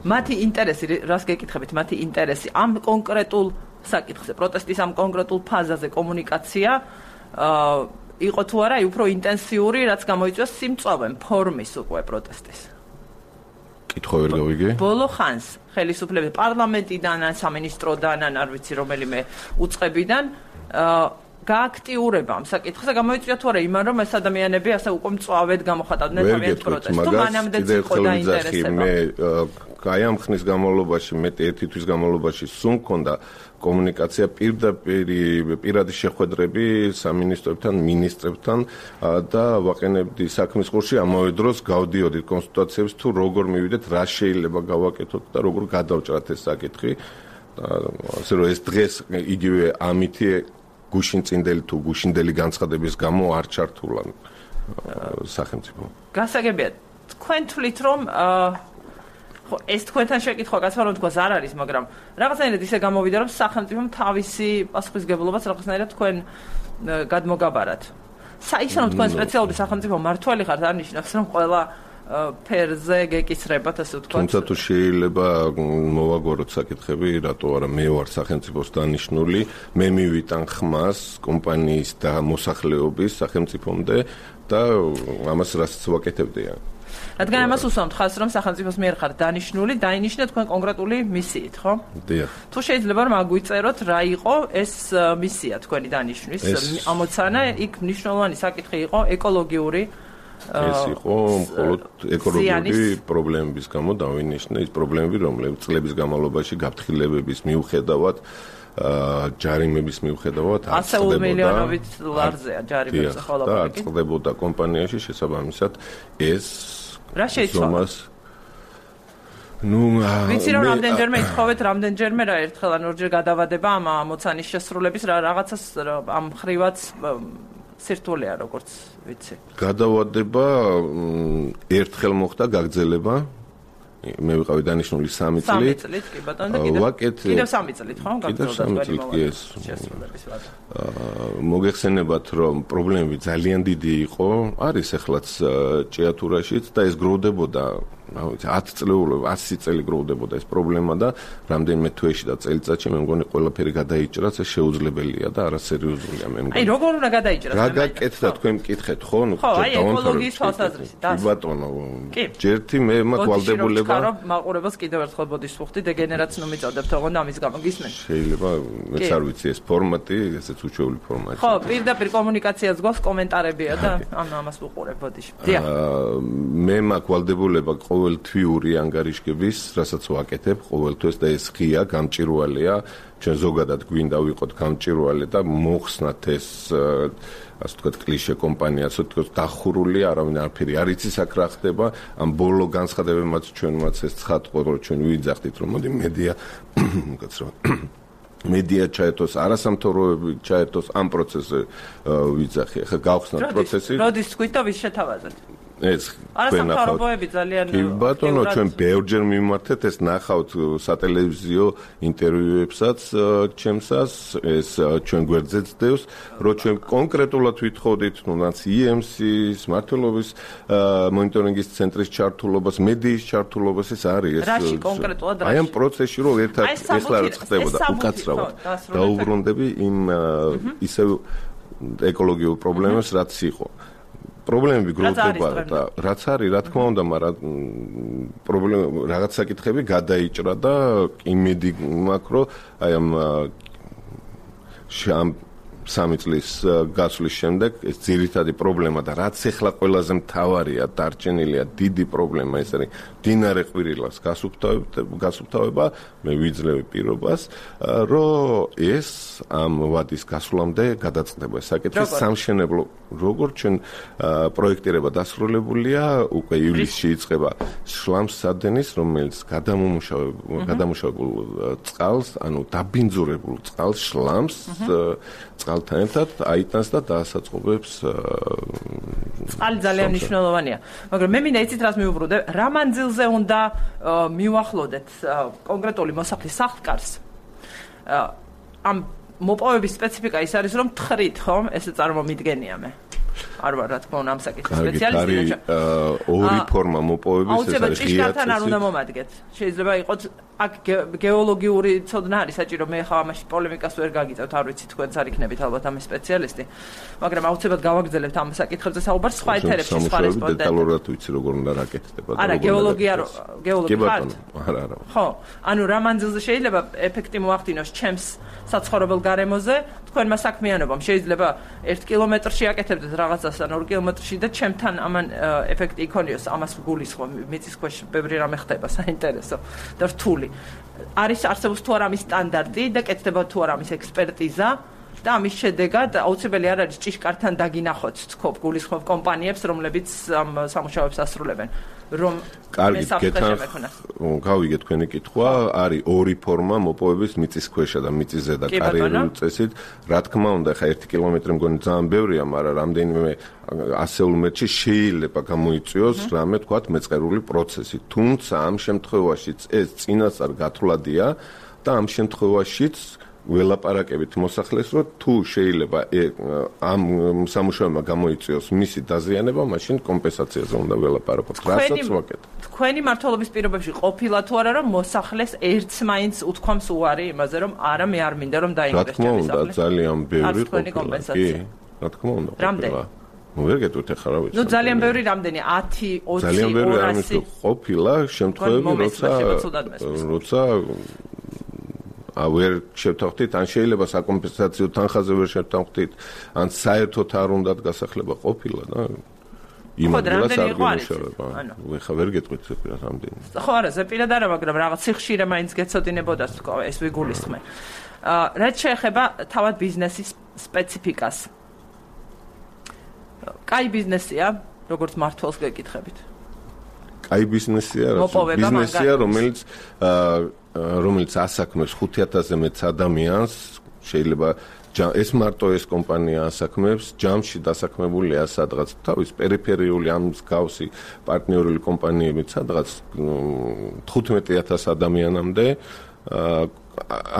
მათი ინტერესი, რას გეკითხებით, მათი ინტერესი ამ კონკრეტულ საკითხზე, პროტესტის ამ კონკრეტულ ფაზაზე კომუნიკაცია იყო თუ არა, უფრო ინტენსიური, რაც გამოიწვია სიმწვავემ ფორმის უკვე პროტესტის. კითხვა ვერ გავიგე. ბოლო ხანს ხელისუფლების პარლამენტიდან ან სამინისტროდან ან არ ვიცი რომელიმე უწყებიდან გააქტიურება ამ საკითხზე გამოიწვია თუ არა იმან რომ ეს ადამიანები ასე უკვე მწვავედ გამოხატავდნენ თავიანთ პროტესტს. თუ მანამდეც იყო დაინტერესება. აი ამ ხნის განმავლობაში, მეტი ერთი თვის განმავლობაში სულ მქონდა კომუნიკაცია პირადი შეხვედრები სამინისტროებთან, მინისტრებთან და ვაყენებდი საქმის კურსში ამავე დროს გავდიოდით კონსულტაციებს თუ როგორ მივიდეთ, რა შეიძლება გავაკეთოთ და როგორ გადავჭრათ ეს საკითხი. ასე რომ ეს დღეს იგივე ამითი გუშინწინდელი თუ გუშინდელი განცხადების გამო არ ჩართულა სახელმწიფო. გასაგებია, თქვენ თვლით რომ ეს თქვენთან შეკითხვა გასვლა რომ თქვას არ არის, მაგრამ რაღაცნაირად ისე გამოვიდა რომ სახელმწიფომ თავისი პასუხისგებლობას რაღაცნაირად თქვენ გადმოგაბარათ. ისე რომ თქვენ სპეციალური სახელმწიფო მართველი ხართ, არ ნიშნავს რომ ყველა ფერზე გეკისრებათ, ასე ვთქვათ. თუმცა თუ შეიძლება მოვაგოროთ საკითხები, რატო არა მე ვარ სახელმწიფოს დანიშნული, მე მივიტან ხმას კომპანიის და მოსახლეობის სახელმწიფომდე და ამას რასაც ვაკეთებდია. რადგან ამას უსვამთ ხაზს, რომ სახელმწიფოს მიერ ხარ დანიშნული, დაინიშნეთ თქვენ კონკრეტული მისიით, ხო? დიახ. თუ შეიძლება რომ აგვიწეროთ რა იყო ეს მისია თქვენი დანიშნვის ამოცანა, იქ მნიშვნელოვანი საკითხი იყო ეკოლოგიური ეს იყო მხოლოდ ეკოლოგიური პრობლემების გამო დავინიშნე ის პრობლემები, რომლებიც წლების განმავლობაში გაფრთხილებების მიუხედავად ჯარიმების მიუხედავად არ წყდებოდა 100 მილიონობით დოლარზეა ჯარიმების ხოლმე და არ წყდებოდა კომპანიაში შესაბამისად ეს რა შეიცვალა ვიცი რომ რამდენჯერმე ითხოვეთ რამდენჯერმე რა ერთხელ ან ორჯერ გადავადება ამ ამოცანის შესრულების რაღაცას ამ ხრივაც სირთულეა როგორც ვიცი გადავადება ერთხელ მოხდა გაგრძელება მე ვიყავი დანიშნული 3 წლით. 3 წლით, კი ბატონო, და კიდევ 3 წლით, ხო? გაგრძელდა მოგეხსენებათ, რომ პრობლემები ძალიან დიდი იყო, არის ეხლაც ჭიათურაშიც და ეს გროვდებოდა 10 წელი გროვდებოდა ეს პრობლემა და რამდენიმე თვეში და წელიწადში მე მგონი ყველაფერი გადაიჭრას ეს შეუძლებელია და არასერიოზულია მე მგონი. აი როგორ უნდა გადაიჭრას? რა გაკეთდა თქვენ მკითხეთ ხო? აი ეკოლოგიის თვალსაზრისით. ბატონო, ჯერთი მე მაქვს ვალდებულება მაყურებელს კიდევ ერთხელ ბოდიშს ვუხდი დეგენერაციას νομიწოდებთ ოღონდ ამის გამო გისმენთ. შეიძლება მეც არ ვიცი ეს ფორმატი, ესეც უჩვეული ფორმატი. ხო, პირდაპირ კომუნიკაციას გვაქვს კომენტარებია და ამას ვუყურებ ბოდიში. დიახ. მე მაქვს ვალდებულება ყოველთვიური ანგარიშგების, რასაც ვაკეთებ ყოველთვის და ეს ღია გამჭირვალეა, ჩვენ ზოგადად გვინდა ვიყოთ გამჭირვალე და მოხსნათ ეს ასე ვთქვათ კლიშე კომპანია, ასე ვთქვათ დახურული, არავინ არაფერი არ იცის აქ რა ხდება, ამ ბოლო განცხადებებმაც ჩვენმაც ეს ცხადყო, რომ ჩვენ ვიძახდით, რომ მოდი მედია მოგაცროთ მედია ჩაერთოს, არასამთავრობოები ჩაერთოს ამ პროცესზე ვიძახი. ახლა გავხსნათ პროცესი. როდის თქვით და ვის შეთავაზეთ? ეს არასამთავრობოები ძალიან კი ბატონო ჩვენ ბევრჯერ მიმართეთ ეს ნახავთ სატელევიზიო ინტერვიუებსაც ჩემსას ეს ჩვენ გვერდზეც დევს რომ ჩვენ კონკრეტულად ვითხოვდით ნაც EMC-ის მართლობის მონიტორინგის ცენტრის ჩართულობას მედიის ჩართულობას ეს არის ეს რაში კონკრეტულად რაში აი ამ პროცესში რომ ერთად ეხლა რა ხდებოდა უკაცრავად დაუბრუნდები იმ ისევ ეკოლოგიურ პრობლემებს რაც იყო პრობლემები გროვდება და რაც არის რა თქმა უნდა მაგრამ პრობლემა რაღაც საკითხები გადაიჭრა და იმედი მაქვს რომ აი ამ 3 წლის გასვლის შემდეგ ეს ძირითადი პრობლემა და რაც ახლა ყველაზე მთავარია დარჩენილია დიდი პრობლემა ეს არის დინარე ყვირილას გასუფთავება მე ვიძლევი პირობას რომ ეს ამ ვადის გასვლამდე გადაწყდება საკითხი სამშენებლო როგორც ჩვენ პროექტირება დასრულებულია უკვე ივლისში იწყება შლამს სადენის რომელიც გადამუშავებულ წყალს ანუ დაბინძურებულ წყალს შლამს წყალთან ერთად აიტანს და დაასაწყობებს წყალი ძალიან მნიშვნელოვანია მაგრამ მე მინდა იცით რას მივუბრუნდე რა მანძილზე უნდა მივახლოდეთ კონკრეტული მოსახლის სახლკარს ამ მოპოვების სპეციფიკა ის არის რომ თხრით ხომ ესე წარმომიდგენია მე არ ვარ რა თქმა უნდა ამ საკითხის სპეციალისტი ორი ფორმა მოპოვების ეს არის ჭიშკართან არ უნდა მომადგეთ შეიძლება იყოს აქ გეოლოგიური ცოდნა არის საჭირო მე ხა ამაში პოლემიკას ვერ გაგიწევთ არ ვიცი თქვენც არ იქნებით ალბათ ამის სპეციალისტი მაგრამ აუცილებლად გავაგრძელებთ ამ საკითხებზე საუბარს სხვა ეთერებში სხვა რესპონდენტები დეტალურად ვიცი როგორ უნდა რაკეთდება არა გეოლოგია ხართ არა ხო ანუ რა მანძილზე შეიძლება ეფექტი მოახდინოს ჩემს საცხოვრებელ გარემოზე თქვენმა საქმიანობამ შეიძლება 1 კილომეტრში აკეთებდეთ რაღაცას ან 2 კილომეტრში და ჩემთან ამან ეფექტი იქონიოს ამას გულისხმობ მიწის ქვეშ ბევრი რამე ხდება საინტერესო და რთული არის არსებობს თუ არა ამის სტანდარტი და კეთდება თუ არა ამის ექსპერტიზა და ამის შედეგად აუცილებელი არ არის ჭიშკართან დაგინახოთ თქო გულისხმობ კომპანიებს რომლებიც ამ სამუშაოებს ასრულებენ რომ კარგი გავიგე თქვენი კითხვა არის ორი ფორმა მოპოვების მიწის ქვეშა და მიწის ზედა კარიერული წესით რა თქმა უნდა ხა 1 კილომეტრი მგონი ძალიან ბევრია მაგრამ რამდენიმე ასეულ მეტრში შეიძლება გამოიწვიოს რამე თქვათ მეწყერული პროცესი თუმცა ამ შემთხვევაშიც ეს წინასწარ გათვლადია და ამ შემთხვევაშიც ველაპარაკებით მოსახლეს რომ თუ შეიძლება ამ სამუშაოებმა გამოიწვიოს მისი დაზიანება მაშინ კომპენსაციაზე უნდა ველაპარაკოთ რასაც ვაკეთებ თქვენი მართლობის პირობებში ყოფილა თუ არა რომ მოსახლეს ერთს მაინც უთქვამს უარი იმაზე რომ არა მე არ მინდა რომ დაინვესტოს რა თქმა უნდა ძალიან ბევრი ყოფილა კი რა თქმა უნდა ვერ გეტყვით ახლა რა ვიცი. ნუ ძალიან ბევრი რამდენი 10, 20, 200 ძალიან ბევრი არ მითქვა ყოფილა შემთხვევები როცა ვერ შევთანხმდით, ან შეიძლება საკომპენსაციო თანხაზე ვერ შევთანხმდით, ან საერთოდ არ უნდათ გასახლება ყოფილა და იმ ადგილას არ გიმუშავება. ხა ვერ გეტყვით რამდენი. ხო არა, ზეპირად არა, მაგრამ რაღაც სიხშირე მაინც გეცოდინებოდა თქო, ეს ვიგულისხმე. რაც შეეხება თავად ბიზნესის სპეციფიკას. კაი ბიზნესია, როგორც მართლს გეკითხებით. კაი ბიზნესია, ბიზნესია, რომელიც ასაქმებს 5000-ზე მეტ ადამიანს, შეიძლება ეს მარტო ეს კომპანია ასაქმებს, ჯამში დასაქმებულია სადღაც თავის პერიფერიული ამ მსგავსი პარტნიორული კომპანიებით სადღაც 15000 ადამიანამდე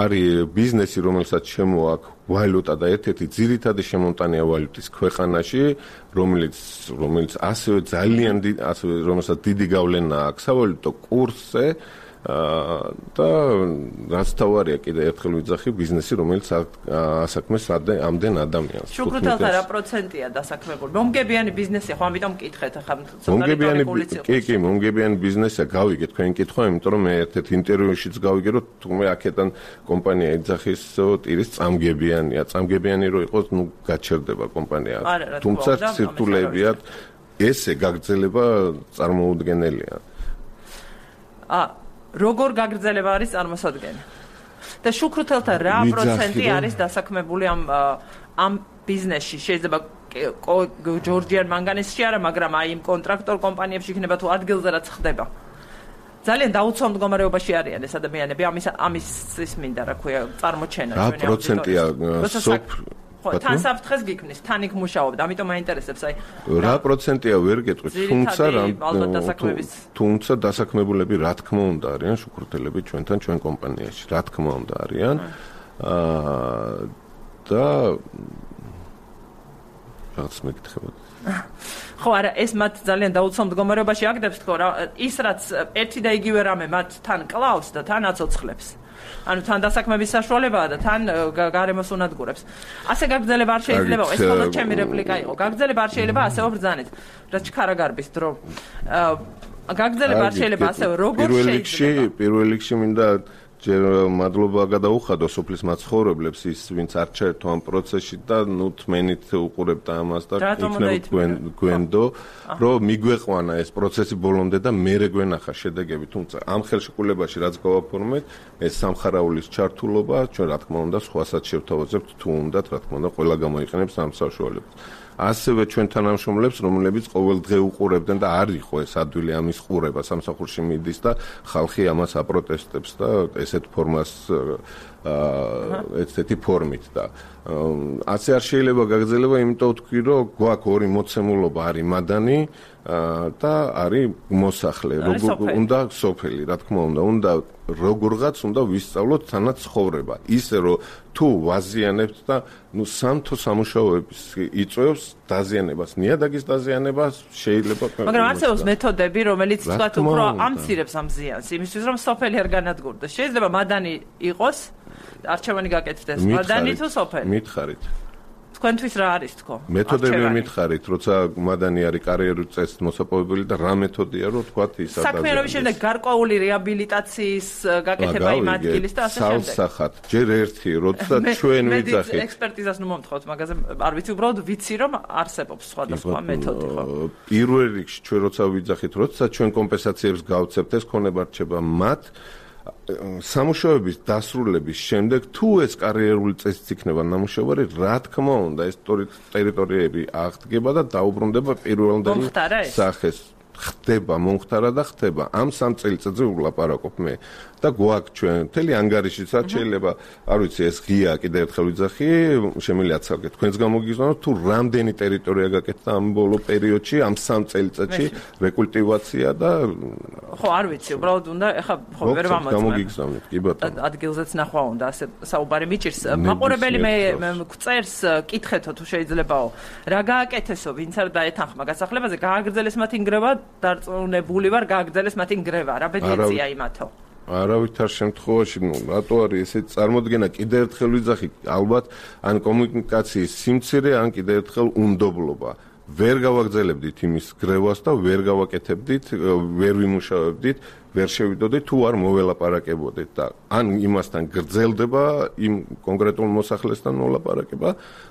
არის ბიზნესი, რომელსაც შემოაქვს ვალუტა და ერთ-ერთი ძირითადი შემომტანია ვალუტის ქვეყანაში, რომელიც ასევე ძალიან რომელსაც დიდი გავლენა აქვს სავალუტო კურსზე და რაც თავარია კიდე ერთხელ ვიძახი ბიზნესი, რომელიც ასაქმეს ამდენ ადამიანს. შუქრუთელთა რა პროცენტია დასაქმებული? მომგებიანი ბიზნესია, ხო ამიტომ მკითხეთ ახლა მომგებიანი ბიზნესია, გავიგეთ თქვენი კითხვა, იმიტომ რომ მე ერთ-ერთ ინტერვიუშიც გავიგე, რომ თუმე აქედან კომპანია იძახის ტირის წამგებიანია, წამგებიანი რო იყოს, ნუ გაჩერდება კომპანია. თუმცა სირთულეებიათ ესე გაგრძელება წარმოუდგენელია. როგორ გაგრძელება არის წარმოსადგენი? და შუქრუთელთა რა პროცენტი არის დასაქმებული ამ ბიზნესში? შეიძლება ჯორჯიან მანგანესში არა, მაგრამ აი იმ კონტრაქტორ კომპანიებში იქნება თუ ადგილზე რაც ხდება. ძალიან დაუცველ მდგომარეობაში არიან ეს ადამიანები, ამის მინდა რა ქვია, წარმოჩენა ჩვენი. რა პროცენტია თან საფრთხეს გიქმნის, თან იქ მუშაობთ, ამიტომ მაინტერესებს აი რა პროცენტია ვერ გეტყვით, თუმცა დასაქმებულები რა თქმა უნდა არიან შუქრუთელები ჩვენთან, ჩვენ კომპანიაში, რა თქმა უნდა არიან. და რაღაც მეკითხებოდ. ხო არა, ეს მათ ძალიან დაუცველ მდგომარეობაში აგდებს თქო რა, ის რაც ერთი და იგივე რამე მათ თან კლავს და თან აცოცხლებს. ანუ თან დასაქმების საშუალებაა და თან გარემოს უნადგურებს. ასე გაგრძელება არ შეიძლება, ეს მხოლოდ ჩემი რეპლიკა იყო. გაგრძელება არ შეიძლება ასეო ბრძანეთ. რა ჩქარაგარბის დრო. გაგრძელება არ შეიძლება ასეო როგორ შეიძლება? პირველ რიგში მინდა ჯერ მადლობა გადაუხადო სოფლის მაცხოვრებლებს, ის ვინც არ ჩაერთო ამ პროცესში და ნუ თმენით უყურებთ ამას და იქნება გვენდო, რომ მიგვეყვანა ეს პროცესი ბოლომდე და მერე გვენახა შედეგები, თუმცა ამ ხელშეკრულებაში რაც გავაფორმეთ, ეს სამხარაულის ჩართულობა, ჩვენ რა თქმა უნდა სხვასაც შევთავაზებთ, თუ უნდათ, რა თქმა უნდა, ყველა გამოიყენებს ამ საშუალებას. ასევე ჩვენ თანამშრომლებს, რომლებიც ყოველდღე უყურებდნენ და არ იყო ეს ადვილი ამის ყურება, სამსახურში მიდის და ხალხი ამას აპროტესტებს და ესეთ ფორმას ესეთი ფორმით და ასე არ შეიძლება გაგრძელება, იმიტომ ვთქვი, რომ გვაქვს ორი მოცემულობა, არის მადანი და არის მოსახლე, უნდა სოფელი, რა თქმა უნდა, როგორღაც უნდა ვისწავლოთ თანაც ცხოვრება. ისე რომ თუ ვაზიანებთ და ნუ სამთო სამუშაოების იწვევს დაზიანებას, ნიადაგის დაზიანებას შეიძლება. მაგრამ არსებობს მეთოდები, რომელიც თქვათ უფრო ამცირებს ამ ზიანს, იმისთვის რომ სოფელი არ განადგურდეს. შეიძლება მადანი იყოს, არჩევანი გაკეთდეს, მადანი თუ სოფელი. მითხარით. თქვენთვის რა არის თქო? მეთოდები მითხარით, როცა მადანი არის კარიერული წესით მოსაპოვებელი და რა მეთოდია, რომ თქვათ ის ადამიანს. საქმიანობის შემდეგ გარკვეული რეაბილიტაციის გაკეთება იმ ადგილის და ასე შემდეგ. სალსახად, ჯერ ერთი, როცა ჩვენ ვიძახით. ექსპერტიზას ნუ მომთხოვთ, მაგაზე არ ვიცი, უბრალოდ ვიცი, რომ არსებობს სხვადასხვა მეთოდი, ხო? პირველ რიგში ჩვენ როცა ვიძახით, როცა ჩვენ კომპენსაციებს გავცემთ, ეს ქონება რჩება მათ სამუშაოების დასრულების შემდეგ თუ ეს კარიერული წესიც იქნება ნამუშევარი, რა თქმა უნდა, ეს ტერიტორიები აღდგება და დაუბრუნდება პირველდანი სახეს. ხდება, მომხდარა და ხდება. ამ 3 წელიწადზე ვლაპარაკობ მე და გვაქვს ჩვენ მთელი ანგარიშიც შეიძლება, არ ვიცი, ეს ღია კიდევ ერთხელ ვიძახი, შემიძლია აცალკეთ. თქვენს გამოგიგზავნოთ თუ რამდენი ტერიტორია გაკეთდა ამ ბოლო პერიოდში, ამ 3 წელიწადში რეკულტივაცია და ხო, არ ვიცი, უბრალოდ უნდა ეხა ხო ვერ ვამოწმებ. გამოგიგზავნეთ, კი ბატონო. ადგილზეც ნახვა უნდა, ასე საუბარი მიჭირს. მაყურებელი მე გწერს, კითხეთო თუ შეიძლებაო. რა გააკეთესო, ვინც არ დაეთანხმა გასახლებაზე, გააგრძელეს მათი ნგრევა, დარწმუნებული ვარ, გააგრძელეს მათი ნგრევა, რა ბედნიერია იმათო. არავითარ შემთხვევაში, რატო არის ესე წარმოდგენა, კიდევ ერთხელ ვიძახი, ალბათ ან კომუნიკაციის სიმცირე, ან კიდევ ერთხელ უნდობლობა. ვერ გავაგრძელებდით იმის გრევას და ვერ გავაკეთებდით, ვერ ვიმუშავებდით, ვერ შევიდოდით თუ არ მოველაპარაკებოდით და ან იმასთან გრძელდება იმ კონკრეტულ მოსახლესთან მოლაპარაკება,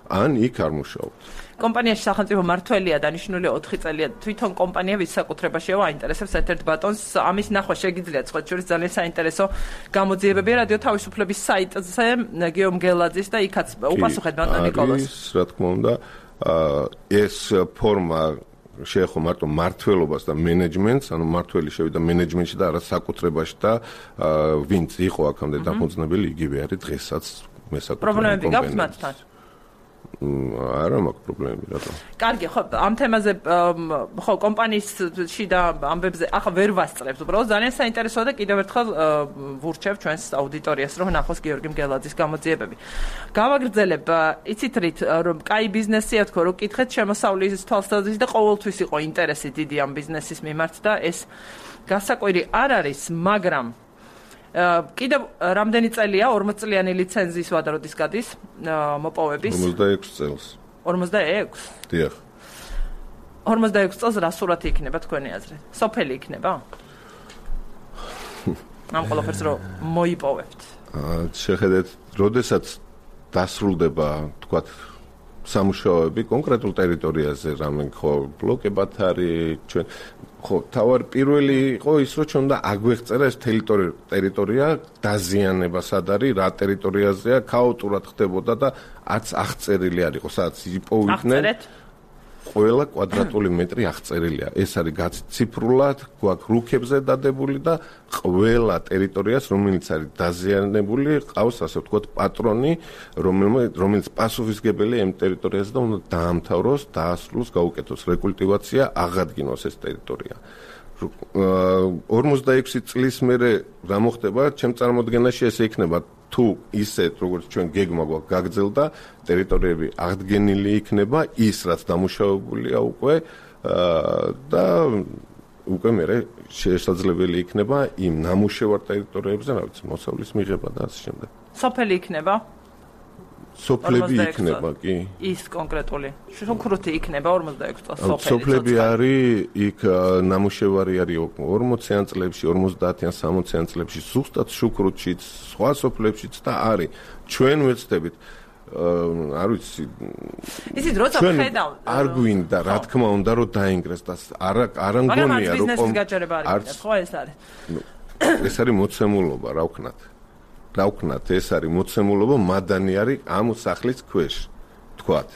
ან იქ არ მუშაობთ. კომპანიაში სახელმწიფო მმართველია დანიშნული 4 წელია. თვითონ კომპანია ვის საკუთრებაშია, აინტერესებს ერთ-ერთ ბატონს. ამის ნახვა შეგიძლიათ, სხვა შორის ძალიან საინტერესო გამოძიებებია რადიო თავისუფლების საიტზე გიომ გელაძის და იქაც უპასუხეთ ბატონ ნიკოლოს. არის, რა თქმა უნდა, ეს ფორმა შეეხო მარტო მმართველობას და მენეჯმენტს, ანუ მმართველი შევიდა მენეჯმენტში და არა საკუთრებაში და ვინც იყო აქამდე დაფუძნებელი, იგივე არის დღესაც მესაკუთრებული პრობლემები გაქვს მათთან? არა მაქვს პრობლემები, რატომ? კარგი, ხო, ამ თემაზე ხო კომპანიაში და ამბებზე ახლა ვერ ვასწრებთ. უბრალოდ ძალიან საინტერესოა და კიდევ ერთხელ ვურჩევ ჩვენს აუდიტორიას, რომ ნახოს გიორგი მგელაძის გამოძიებები. გავაგრძელებ, იცით რით, რომ კაი ბიზნესია თქო, რომ კითხეთ შემოსავლის თვალსაზრისით და ყოველთვის იყო ინტერესი დიდი ამ ბიზნესის მიმართ და ეს გასაკვირი არ არის, მაგრამ კიდევ რამდენი წელია 40 წლიანი ლიცენზიის ვადა როდის გადის მოპოვების 46 წელს 46? დიახ 46 წელს რა სურათი იქნება თქვენი აზრით? სოფელი იქნება? ამ ყველაფერს რომ მოიპოვებთ. შეხედეთ, როდესაც დასრულდება, თქვათ, სამუშაოები კონკრეტულ ტერიტორიაზე, რამე ხო ბლოკებად არის, ჩვენ ხო თავარი პირველი იყო ის, რომ ჩვენ და აგვეღწერა ეს ტერიტორია დაზიანება სად არის, რა ტერიტორიაზეა, ქაოტურად ხდებოდა და არც აღწერილი არ იყო, სადაც იპოვიდნენ. ყველა კვადრატული მეტრი აღწერილია. ეს არის გაციფრულად, გვაქვს რუქებზე დადებული და ყველა ტერიტორიას, რომელიც არის დაზიანებული, ყავს ასე ვთქვათ პატრონი, რომელიც პასუხისგებელია იმ ტერიტორიაზე და უნდა დაამთავროს, დაასრულოს, გაუკეთოს რეკულტივაცია, აღადგინოს ეს ტერიტორია. 46 წლის მერე რა მოხდება, ჩემ წარმოდგენაში ესე იქნება თუ ისეთ როგორც ჩვენ გეგმა გვაქვს გაგრძელდა, ტერიტორიები აღდგენილი იქნება, ის რაც დამუშავებულია უკვე და უკვე მერე შესაძლებელი იქნება იმ ნამუშევარ ტერიტორიებზე, რა ვიცი, მოსავლის მიღება და ასე შემდეგ. სოფელი იქნება? სოფლები იქნება, კი. ის კონკრეტული. შუქრუთი იქნება 46 წელს სოფელი. სოფლები არის, იქ ნამუშევარი არის 40-იან წლებში, 50-იან, 60-იან წლებში, ზუსტად შუქრუთშიც, სხვა სოფლებშიც და არის. ჩვენ ვეცდებით არ ვიცი. ისიც როცა ხედავ არ გვინდა, რა თქმა უნდა, რომ დაინგრეს და არა მგონია, რომ ბიზნესის გაჯერება არის, ხო ეს არის. ეს არის მოცემულობა, რა ვქნათ. რა ვქნათ, ეს არის მოცემულობა, მადანი არის ამ სახლის ქვეშ, თქვათ.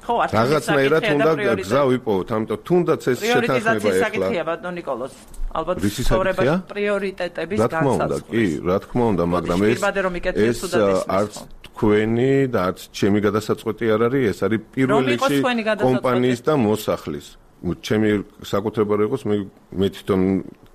ხო, არ რაღაცნაირად უნდა გზა ვიპოვოთ, ამიტომ თუნდაც ეს შეთანხმება ეხლა. საკითხია ბატონ ნიკოლოს. ალბათ ცხოვრებაში პრიორიტეტების განსაზღვრა. რა თქმა უნდა, მაგრამ ეს არც თქვენი და არც ჩემი გადასაწყვეტი არ არის, ეს არის პირველ რიგში კომპანიის და მოსახლის. ჩემი საკუთრება რო იყოს, მე თვითონ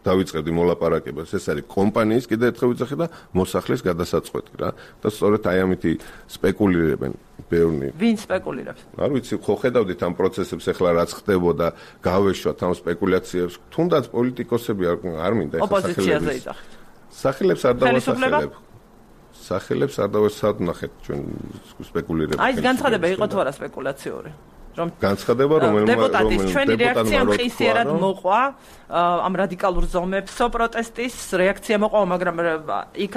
დავიწყებდი მოლაპარაკებას. ეს არის კომპანიის, კიდე ერთხელ ვიძახე და მოსახლის გადასაწყვეტი რა. და სწორედ აი ამითი სპეკულირებენ ბევრი. ვინ სპეკულირებს? არ ვიცი, ხო ხედავდით ამ პროცესებს ახლა რაც ხდებოდა, გავეშვათ ამ სპეკულაციებს. თუნდაც პოლიტიკოსები არ მინდა ეს ოპოზიციაზე იძახეთ. სახელებს არ დავასახელებ. სახელებს არ დავასახელებ ჩვენ სპეკულირებთ. აი ეს განცხადება იყო თუ არა სპეკულაციური? განცხადება რომელიც დეპუტატის ჩვენი რეაქცია მხისიერად მოყვა ამ რადიკალურ ზომებსო პროტესტის რეაქცია მოყვა, მაგრამ იქ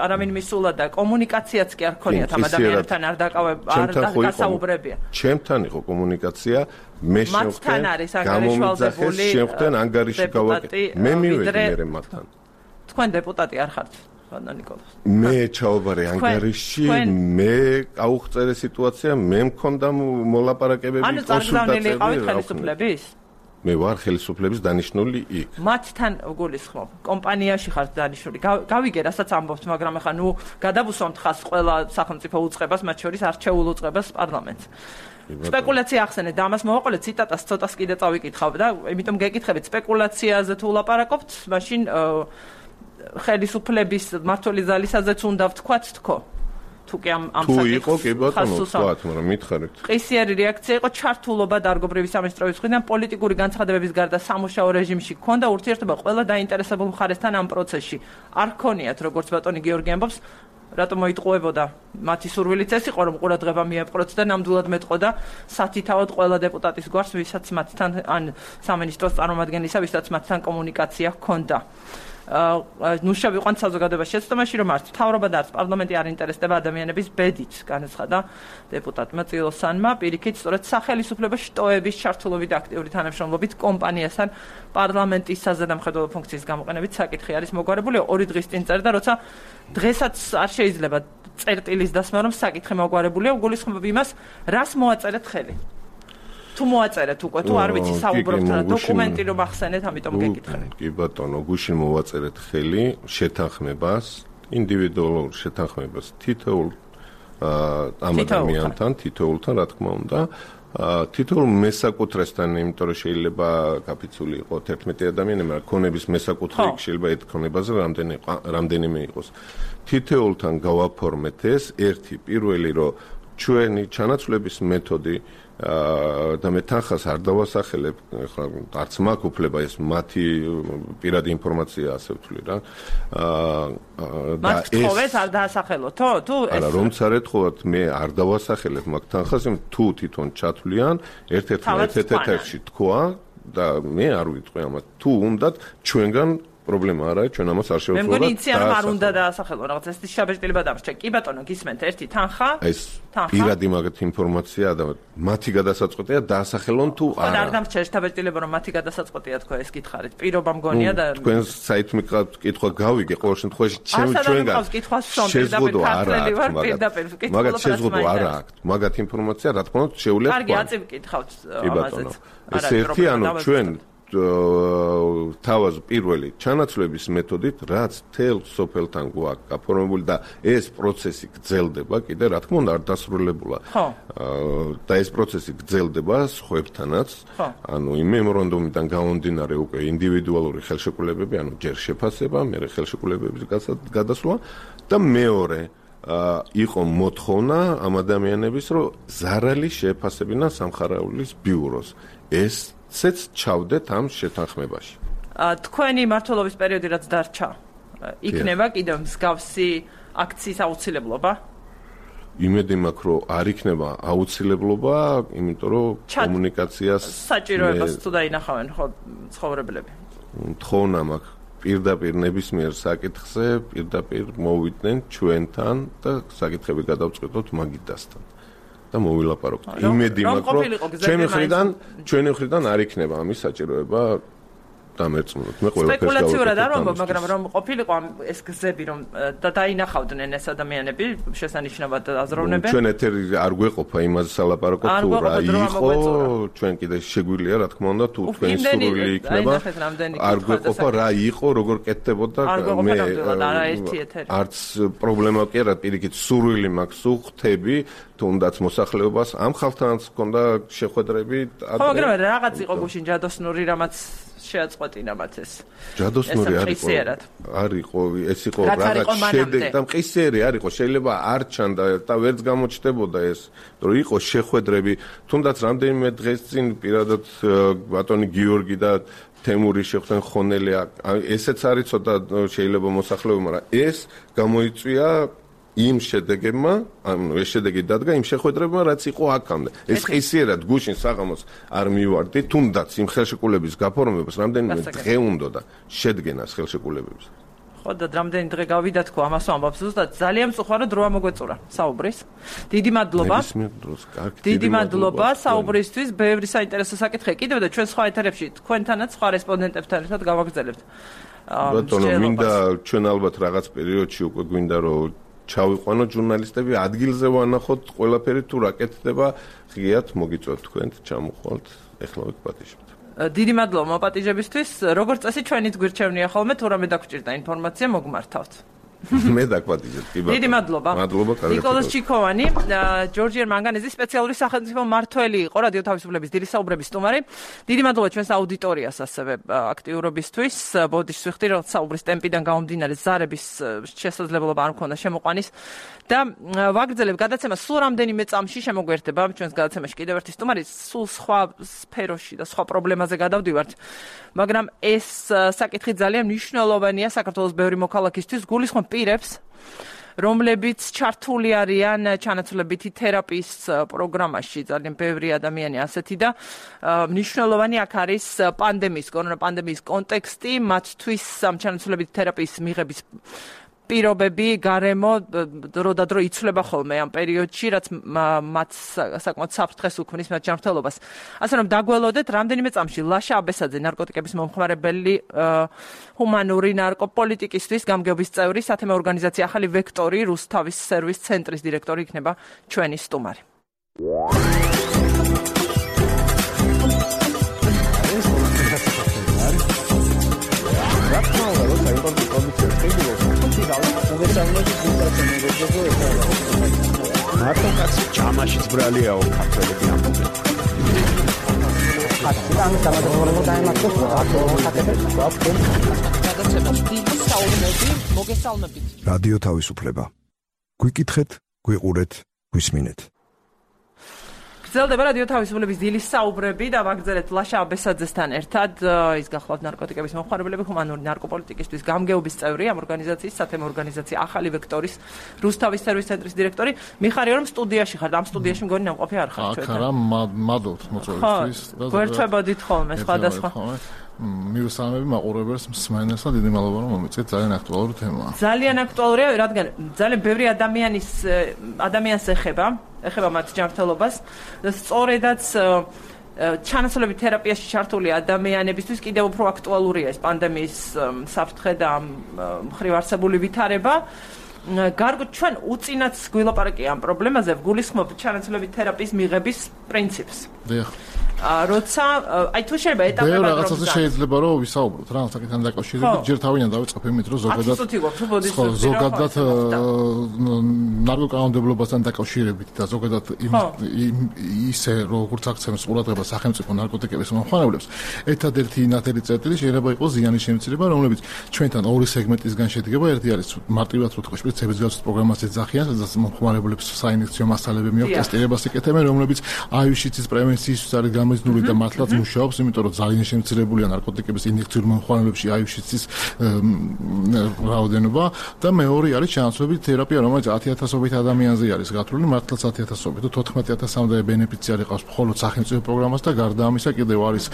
არავინ მისულა და კომუნიკაციაც კი არ ქონიათ ამ ადამიანებთან არ დასაუბრებია. ჩემთან იყო კომუნიკაცია, მე მათთან არის ანგარიშვალდებული შემხდენ ანგარიში გავაკეთე. მე მივედი მე მათთან. თქვენ დეპუტატი არ ხართ? მე ჩავაბარე ანგარიში, მე აუღწერე სიტუაცია, მე მქონდა მოლაპარაკებები, კონსულტაციები. ანუ ხელისუფლების? მე ვარ ხელისუფლების დანიშნული იქ. მათთან გულისხმობ, კომპანიაში ხართ დანიშნული. გავიგე, რასაც ამბობთ, მაგრამ ახლა ნუ გადავუსვამთ ხას ყველა სახელმწიფო უწყებას, მათ შორის არჩეულ უწყებას პარლამენტს. სპეკულაცია ახსენეთ და ამას მოვაყოლეთ ციტატას ცოტას კიდე წავიკითხავ და იმიტომ გეკითხებით სპეკულაციაზე თუ ვლაპარაკობთ, მაშინ ხელისუფლების მმართველი ძალისაზეც უნდა ვთქვათ თქო. თუ კი ამ საკითხს იყო კი ბატონო ვთქვათ, მაგრამ მითხარით. ყისიერი რეაქცია იყო ჩართულობა დარგობრივი სამინისტროების მხრიდან პოლიტიკური განცხადებების გარდა სამუშაო რეჟიმში ჰქონდა ურთიერთობა ყველა დაინტერესებულ მხარესთან ამ პროცესში. არ ქონიათ როგორც ბატონი გიორგი ამბობს რატომ მოიტყუებოდა მათი სურვილიც ეს იყო რომ ყურადღება მიეპყროთ და ნამდვილად მეტყოდა სათითაოდ ყველა დეპუტატის გვარს ვისაც მათთან ან სამინისტროს წარმომადგენლისა ვისაც მათთან კომუნიკაცია ჰქონდა ნუშა ვიყვანთ საზოგადოებაში შეცდომაში რომ არც მთავრობა და არც პარლამენტი არ ინტერესდება ადამიანების ბედით განაცხადა დეპუტატმა წილოსანმა პირიქით სწორედ სახელმწიფო შტოების ჩართულობით და აქტიური თანამშრომლობით კომპანიასთან პარლამენტის საზედამხედველო ფუნქციის გამოყენებით საკითხი არის მოგვარებული 2 დღის წინ წერდა როცა დღესაც არ შეიძლება წერტილის დასმა რომ საკითხი მოგვარებულია გულისხმობ იმას რას მოაწერეთ ხელი თუ მოაწერეთ უკვე თუ არ ვიცი საუბრობთ რა დოკუმენტი რომ ახსენეთ ამიტომ გეკითხები კი ბატონო გუშინ მოვაწერეთ ხელი შეთანხმებას ინდივიდუალურ შეთანხმებას თითოეულ ამ ადამიანთან თითოეულთან რა თქმა უნდა თითოეულ მესაკუთრესთან იმიტომ რომ შეიძლება კაპიცული იყოს 11 ადამიანი მაგრამ ქონების მესაკუთრე შეიძლება ერთ ქონებაზე რამდენიმე იყოს თითოეულთან გავაფორმეთ ეს ერთი პირველი რომ ჩვენი ჩანაცვლების მეთოდი და მე თანხას არ დავასახელებ, ახლა არც მაქვს უფლება ეს მათი პირადი ინფორმაცია ასე ვთვლი რა. და ეს არ დაასახელო, თუ ეს არა რომ წარეთხოვათ მე არ დავასახელებ მაგ თანხას, თუ თვითონ ჩათვლიან ერთ-ერთი თქვა და მე არ ვიტყვი ამას. თუ უნდათ ჩვენგან პრობლემა არა, ჩვენ ამას არ შევხვდებით. მე მგონი იციან არ უნდა დაასახელო რაღაც ეს შაბეჭდილება დამრჩა. კი ბატონო, გისმენთ ერთი თანხა? ეს პირადი მაგათ ინფორმაცია და მათი გადასაწყვეტია დაასახელონ თუ არა. არ დამრჩა შაბეჭდილება რომ მათი გადასაწყვეტია თქვა ეს გითხარით. პირობა მგონია და თქვენ საით მიყავთ კითხვა გავიგე ყოველ შემთხვევაში ჩვენგან. შეზღუდო არა აქვს მაგათ შეზღუდო არა აქვს. მაგათ ინფორმაცია რა თქმა უნდა შეუძლია. კარგი, აწი ვკითხავთ ამაზეც. ეს ერთი ანუ ჩვენ თავაზ პირველი ჩანაცვლების მეთოდით რაც თელ სოფელთან გვაქვს გაფორმებული და ეს პროცესი გრძელდება კიდე რა თქმა უნდა არ დასრულებულა და ეს პროცესი გრძელდება სხვებთანაც ანუ იმ მემორანდუმიდან გამომდინარე უკვე ინდივიდუალური ხელშეკრულებები ანუ ჯერ შეფასება მერე ხელშეკრულებების გადასვლა და მეორე იყო მოთხოვნა ამ ადამიანების რომ ზარალი შეეფასებინა სამხარეულის ბიუროს ეს ცეც ჩავდეთ ამ შეთანხმებაში. თქვენი მმართველობის პერიოდი რაც დარჩა, იქნება კიდევ მსგავსი აქციის აუცილებლობა? იმედი მაქვს, რომ არ იქნება აუცილებლობა, იმიტომ რომ კომუნიკაციას საჭიროებას თუ დაინახავენ ხო ცხოვრებლები. თხოვნა მაქვს პირდაპირ ნებისმიერ საკითხზე, პირდაპირ მოვიდნენ ჩვენთან და საკითხები გადავწყვეტოთ მაგიდასთან. და მოვილაპარაკოთ. იმედი მაქვს, რომ ჩვენი მხრიდან არ იქნება ამის საჭიროება დამერწმუნოთ. მე ყველაფერს სპეკულაციურად არ ვამბობ, მაგრამ რომ ყოფილიყო ეს გზები რომ დაინახავდნენ ეს ადამიანები, შესანიშნავად აზროვნებენ. ჩვენ ეთერი არ გვეყოფა იმაზე სალაპარაკოთ თუ რა იყო, ჩვენ კიდე შეგვიძლია რა თქმა უნდა თუ თქვენი სურვილი იქნება. არ გვეყოფა რა იყო, როგორ კეთდებოდა მე არც პრობლემა კი არა, პირიქით სურვილი მაქვს უხთები თუნდაც მოსახლეობას ამ ხალხთანაც ჰქონდა შეხვედრები. ხო, მაგრამ რაღაც იყო გუშინ ჯადოსნური რამაც შეაწყვეტინა მათ ეს. ჯადოსნური არ იყო, ეს იყო რაღაც შედეგი და მყისიერი არ იყო, შეიძლება არ ჩანდა და ვერც გამოჩნდებოდა ეს, რომ იყო შეხვედრები, თუნდაც რამდენიმე დღეს წინ პირადად ბატონი გიორგი და თემური შეხვდნენ ხონელი, ესეც არის ცოტა შეიძლება მოსახლეობა, მაგრამ ეს გამოიწვია იმ შედეგებმა, ანუ ეს შედეგი დადგა იმ შეხვედრებმა, რაც იყო აქამდე. ეს ყისიერად გუშინ საღამოს არ მივარდი, თუნდაც იმ ხელშეკრულების გაფორმებას რამდენიმე დღე უნდოდა შედგენას ხელშეკრულებების. ხო და რამდენი დღე გავიდა თქო, ამას ვამბობ ზუსტად, ძალიან მწუხარო დროა მოგვეწურა საუბრის. დიდი მადლობა. დიდი მადლობა საუბრისთვის, ბევრი საინტერესო საკითხი კიდევ და ჩვენ სხვა ეთერებში თქვენთანაც სხვა რესპონდენტებთან ერთად გავაგრძელებთ. ბატონო, მინდა ჩვენ ალბათ რაღაც პერიოდში უკვე გვინდა რომ ჩავიყვანოთ ჟურნალისტები ადგილზე ვანახოთ ყველაფერი თუ რა კეთდება ღიად მოგიწვევთ თქვენ ჩამოხვალთ ეხლა ვიპატიჟებთ დიდი მადლობა მოპატიჟებისთვის როგორც წესი ჩვენით გვირჩევნია ხოლმე თუ რამე დაგჭირდა ინფორმაცია მოგმართავთ მე დაგვატიჟებ კი ბატონო დიდი მადლობა ნიკოლოზ ჩიქოვანი ჯორჯიერ მანგანეზის სპეციალური სახელმწიფო მმართველი იყო რადიო თავისუფლების დილის საუბრების სტუმარი დიდი მადლობა ჩვენს აუდიტორიას ასევე აქტიურობისთვის ბოდიშს ვიხდი რომ საუბრის ტემპიდან გამომდინარე ზარების შესაძლებლობა არ მქონდა შემოყვანის და ვაგრძელებ გადაცემას სულ რამდენიმე წამში შემოგვერთება ჩვენს გადაცემაში კიდევ ერთი სტუმარი სულ სხვა სფეროში და სხვა პრობლემაზე გადავდივართ მაგრამ ეს საკითხი ძალიან მნიშვნელოვანია საქართველოს ბევრი მოქალაქისთვის გულისხმობ პირებს რომლებიც ჩართული არიან ჩანაცვლებითი თერაპიის პროგრამაში. ძალიან ბევრი ადამიანი ასეთი და მნიშვნელოვანი აქ არის კორონა პანდემიის კონტექსტი, მათთვის ამ ჩანაცვლებითი თერაპიის მიღების პირობები, გარემო დრო და დრო იცვლება ხოლმე ამ პერიოდში, რაც მათ საკმაოდ საფრთხეს უქმნის მათ ჯანმრთელობას. ასე რომ დაგველოდეთ, რამდენიმე წამში ლაშა აბესაძე, ნარკოტიკების მომხმარებელი ჰუმანური ნარკოპოლიტიკისთვის გამგეობის წევრი, სათემო ორგანიზაცია ახალი ვექტორი, რუსთავის სერვის ცენტრის დირექტორი იქნება ჩვენი სტუმარი. მარტო კაცი ჭამაშიც ბრალიაო ქართველები ამბობენ. რადიო თავისუფლება. გვიკითხეთ, გვიყურეთ, გვისმინეთ. გრძელდება რადიო თავისუფლების დილის საუბრები და ვაგრძელეთ ლაშა აბესაძესთან ერთად. ის გახლავთ ნარკოტიკების მომხმარებლები, ჰუმანური ნარკოპოლიტიკისთვის გამგეობის წევრი ამ ორგანიზაციის, სათემო ორგანიზაცია ახალი ვექტორის რუსთავის სერვის ცენტრის დირექტორი. მიხარია რომ სტუდიაში ხართ, ამ სტუდიაში მგონი ნამყოფი არ ხართ ჩვენ. აქ არა, მადლობთ მოწვევისთვის და გვერდჩებოდით ხოლმე სხვადასხვა. მივესალმები მაყურებელს, მსმენელს და დიდი მადლობა რომ მომეწეთ, ძალიან აქტუალური თემაა. ძალიან აქტუალურია, რადგან ძალიან ბევრი ადამიანს ეხება მათ ჯანმრთელობას და სწორედაც ჩანაცვლებით თერაპიაში ჩართული ადამიანებისთვის კიდევ უფრო აქტუალურია ეს პანდემიის საფრთხე და მხრივ არსებული ვითარება. გარკვეულ ჩვენ უწინაც გვილაპარაკია ამ პრობლემაზე, ვგულისხმობთ ჩანაცვლებით თერაპიის მიღების პრინციპს. დიახ. როცა აი თუ შეიძლება ეტაპებად რომ რაღაცაზე შეიძლება რომ ვისაუბროთ რა საკითხთან დაკავშირებით, ჯერ თავიდან დავიწყებ იმით რომ ზოგადად ნარკოკანონმდებლობასთან დაკავშირებით და ზოგადად ისე როგორც აქცევს ყურადღება სახელმწიფო ნარკოტიკების მომხმარებლებს, ერთადერთი ნათელი წერტილი შეიძლება იყოს ზიანის შემცირება, რომლებიც ჩვენთან ორი სეგმენტისგან შედგება. ერთი არის მარტივად რო თქვა შპრიცების გასვლის პროგრამას ეძახიან, სადაც მომხმარებლებს საინექციო მასალები მიაქვს, ტესტირებას იკეთებენ, რომლებიც აივ-შიცის პრევენციის არის გამიზნული და მართლაც მუშაობს, იმიტომ რომ ძალიან შემცირებულია ნარკოტიკების ინიექციურ მომხმარებლებში აივ-შიცის რაოდენობა და მეორე არის ჩანაცვლებით თერაპია, რომელიც 10,000-ობით ადამიანზე არის გათვლილი, მართლაც 10,000-ობით და 14,000-მდე ბენეფიციარი ყავს მხოლოდ სახელმწიფო პროგრამას და გარდა ამისა კიდევ არის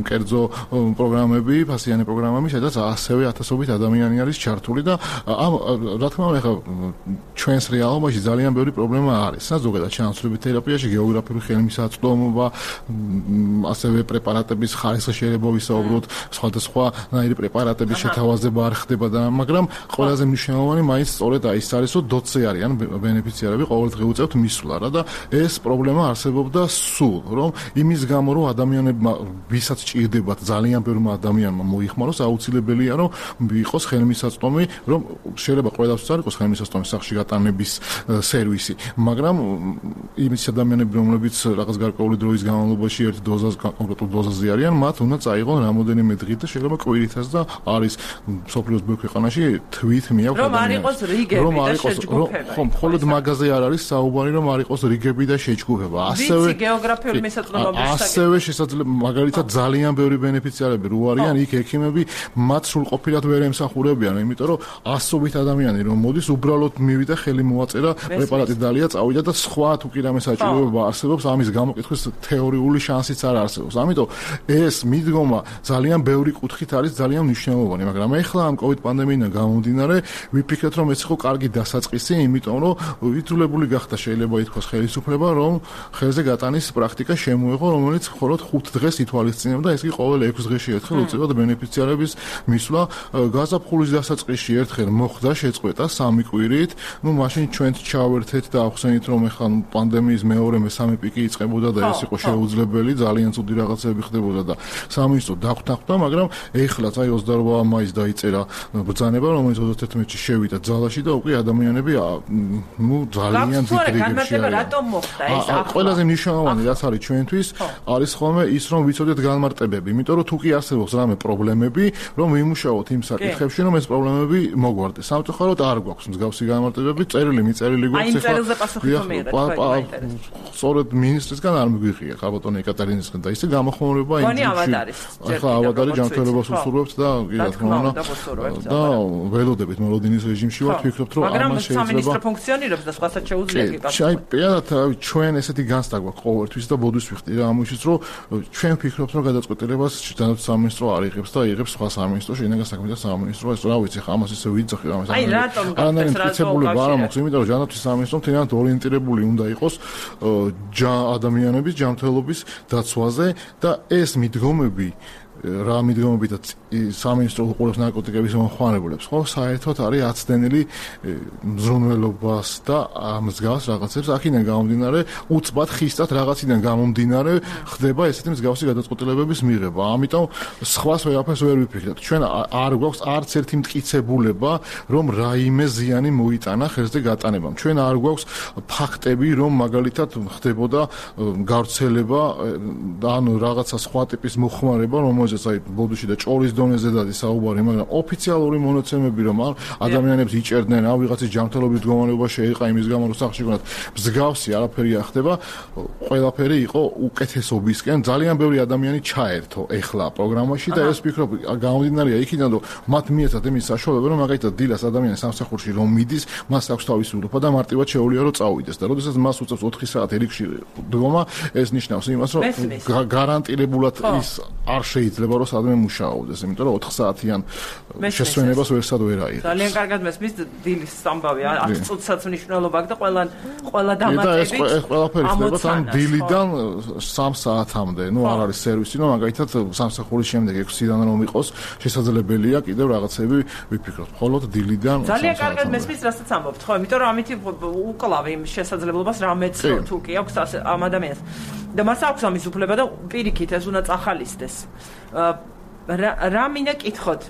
კერძო პროგრამები, ფასიანი პროგრამები, სადაც ასევე 1000-ობით ადამიანი არის ჩართული და ამ რა თქმა უნდა ჩვენს რეალობაში ძალიან ბევრი პრობლემა არის. ზოგადად ჩანაცვლებით თერაპიაში გეოგრაფიული ხელმისაწვდომობა, ასევე პრეპარატების ხარისხი შეიძლება ვისაუბროთ, სხვადასხვანაირი პრეპარატების შეთავაზება არ ხდება და მაგრამ ყველაზე მნიშვნელოვანი მაინც სწორედ ის არის, რომ დოცე არიან ბენეფიციარები, ყოველდღე უწევთ მისვლა რა და ეს პრობლემა არსებობდა სულ, რომ იმის გამო რომ ადამიანებმა ვისაც ჭირდებათ ძალიან ბევრმა ადამიანმა მოიხმაროს, აუცილებელია რომ იყოს ხელმისაწვდომი, რომ შეიძლება ყველას არ იყოს ხელმისაწვდომი სახში გატანების სერვისი, მაგრამ იმის ადამიანები, რომლებიც რაღაც გარკვეული დროის განმავლობაში ერთ დოზას კონკრეტულ დოზაზე არიან, მათ უნდა წაიღონ რამოდენიმე დღით და შეიძლება კვირითაც და არის სოფლიოს ბევრ ქვეყანაში თვით მიაქვს რომ არ იყოს რიგები და შეჯგუფება. ხო, მხოლოდ მაგაზე არ არის საუბარი, რომ არ იყოს რიგები და შეჯგუფება. ასევე გეოგრაფიული მისაწვდომობის ასევე შესაძლოა მაგალითად ძალიან ბევრი ბენეფიციარები რო არიან, იქ ექიმები მათ სრულყოფილად ვერ ემსახურებიან, იმიტომ რომ 100-ობით ადამიანი რომ მოდის, უბრალოდ მივიდა ხელი მოაწერა, პრეპარატი დალია, წავიდა და სხვა თუ კი რამე საჭიროება არსებობს, ამის გამოკითხვის თეორიული შანსიც არ არსებობს. ამიტომ ეს მიდგომა ძალიან ბევრი კუთხით არის ძალიან მნიშვნელოვანი, მაგრამ ეხლა ამ COVID პანდემიიდან გამომდინარე, ვიფიქრეთ რომ ეს იყო კარგი დასაწყისი, იმიტომ რომ ვითულებული გახდა შეიძლება ითქვას ხელისუფლება, რომ ხელზე გატანის პრაქტიკა შემოეღო, რომელიც მხოლოდ 5 დღეს ითვალისწინებდა, ეს კი ყოველ 6 დღეში ერთხელ უწევდა ბენეფიციარების მისვლა. გაზაფხულის დასაწყისში ერთხელ მოხდა შეწყვეტა 3 კვირით, მაშინ ჩვენც ჩავერთეთ და ახსენით რომ ეხლა პანდემიის მეორე მესამე პიკი იწყებოდა და ეს იყო შეუძლებელი, ძალიან ცუდი რაღაცები ხდებოდა და სამინისტრო დაგვთანხმდა, მაგრამ ეხლაც აი 28 მაისს დაიწერა ბრძანება, რომელიც 31-ში შევიდა ძალაში და უკვე ადამიანები ძალიან დიდ რიგებში არიან. რატომ მოხდა ეს ახლა? ყველაზე მნიშვნელოვანი რაც არის ჩვენთვის, არის ხოლმე ის რომ ვიცოდეთ განმარტებები, იმიტომ რომ თუ კი არსებობს რამე პრობლემები, რომ ვიმუშაოთ იმ საკითხებში, რომ ეს პრობლემები მოგვარდეს. სამწუხაროდ არ გვაქვს მსგავსი განმარტებები, წერილი გვაქვს ეხლა. აი წერილზე პასუხი თუ მიიღეთ, სწორედ მინისტრისგან არ მიგვიღია ხალბატონი ეკა ეკატერინის და ისე გამოხმაურება ინჯილში. ახლა ავადარი ჯანმრთელობას უსურვებთ და კი რა თქმა უნდა და ველოდებით მოლოდინის რეჟიმში ვართ, ვფიქრობთ რომ ამას შეიძლება სამინისტრო ფუნქციონირებს და სხვასაც შეუძლია კი კავშირი. აი, პირადად ჩვენ ესეთი განცდა გვაქვს ყოველთვის და ბოდვის ვიხდი რა ამისთვის რომ ჩვენ ვფიქრობთ რომ გადაწყვეტილებას ჯანდაცვის სამინისტრო არ იღებს და იღებს სხვა სამინისტრო, შინაგან საქმეთა სამინისტრო, ეს რა ვიცი, ამას ისე ვიძახი ამას. აი, რატომ გახდეს რაცობულება არ მაქვს, იმიტომ რომ ჯანდაცვის სამინისტრო მთლიანად ორიენტირებული უნდა იყოს ადამიანების ჯანმრთელობის დაცვაზე და ეს მიდგომები რა მიდგომებითაც სამინისტრო უყურებს ნარკოტიკების მომხმარებლებს, ხო, საერთოდ არის აცდენილი მზრუნველობას და მსგავს რაღაცებს აქედან გამომდინარე, უცბად ხისტად რაღაციდან გამომდინარე ხდება ესეთი მსგავსი გადაწყვეტილებების მიღება. ამიტომ სხვას ვერაფერს ვერ ვიფიქრებთ. ჩვენ არ გვაქვს არც ერთი მტკიცებულება, რომ რაიმე ზიანი მოიტანა ხელზე გატანებამ. ჩვენ არ გვაქვს ფაქტები, რომ მაგალითად ხდებოდა გავრცელება და ანუ რაღაცა სხვა ტიპის მოხმარება, რომელზეც აი ბოდუში და ჭოლის დონეზე დადის საუბარი, მაგრამ ოფიციალური მონაცემები რომ ადამიანებს იჭერდნენ, რა ვიღაცის ჯანმრთელობის მდგომარეობა შეიყა იმის გამო რომ სახში გონათ მსგავსი არაფერი არ ხდება, ყველაფერი იყო უკეთესობისკენ, ძალიან ბევრი ადამიანი ჩაერთო ეხლა პროგრამაში და ეს ვფიქრობ გამომდინარეა იქიდან რომ მათ მიეცათ იმის საშუალება რომ მაგალითად დილას ადამიანი სამსახურში რომ მიდის, მას აქვს თავისუფლება და მარტივად შეუძლია რომ წავიდეს და როდესაც მას უწევს 4 საათი რიგში დგომა, ეს ნიშნავს იმას რომ გარანტირებულად ის არ შეიძლება რომ სადმე მუშაობდეს, იმიტომ რომ 4 საათიან შესვენებას ვერსად ვერ აიღებს. ძალიან კარგად მესმის დილის ამბავი, 10 წუთსაც მნიშვნელობა აქვს და ყველა დამატებით. ეს ყველაფერი ხდება თან დილიდან 3 საათამდე. ნუ არ არის სერვისი, რომ მაგალითად სამსახურის შემდეგ 6-დან რომ იყოს, შესაძლებელია კიდევ რაღაცები ვიფიქროთ. მხოლოდ დილიდან ძალიან კარგად მესმის, რასაც ამბობთ, ხო, იმიტომ რომ ამით უკლავ იმ შესაძლებლობას რამეც თუ კი აქვს ამ ადამიანს. და მას აქვს ამის უფლება და პირიქით ეს უნდა წახალისდეს. რა მინდა კითხოთ?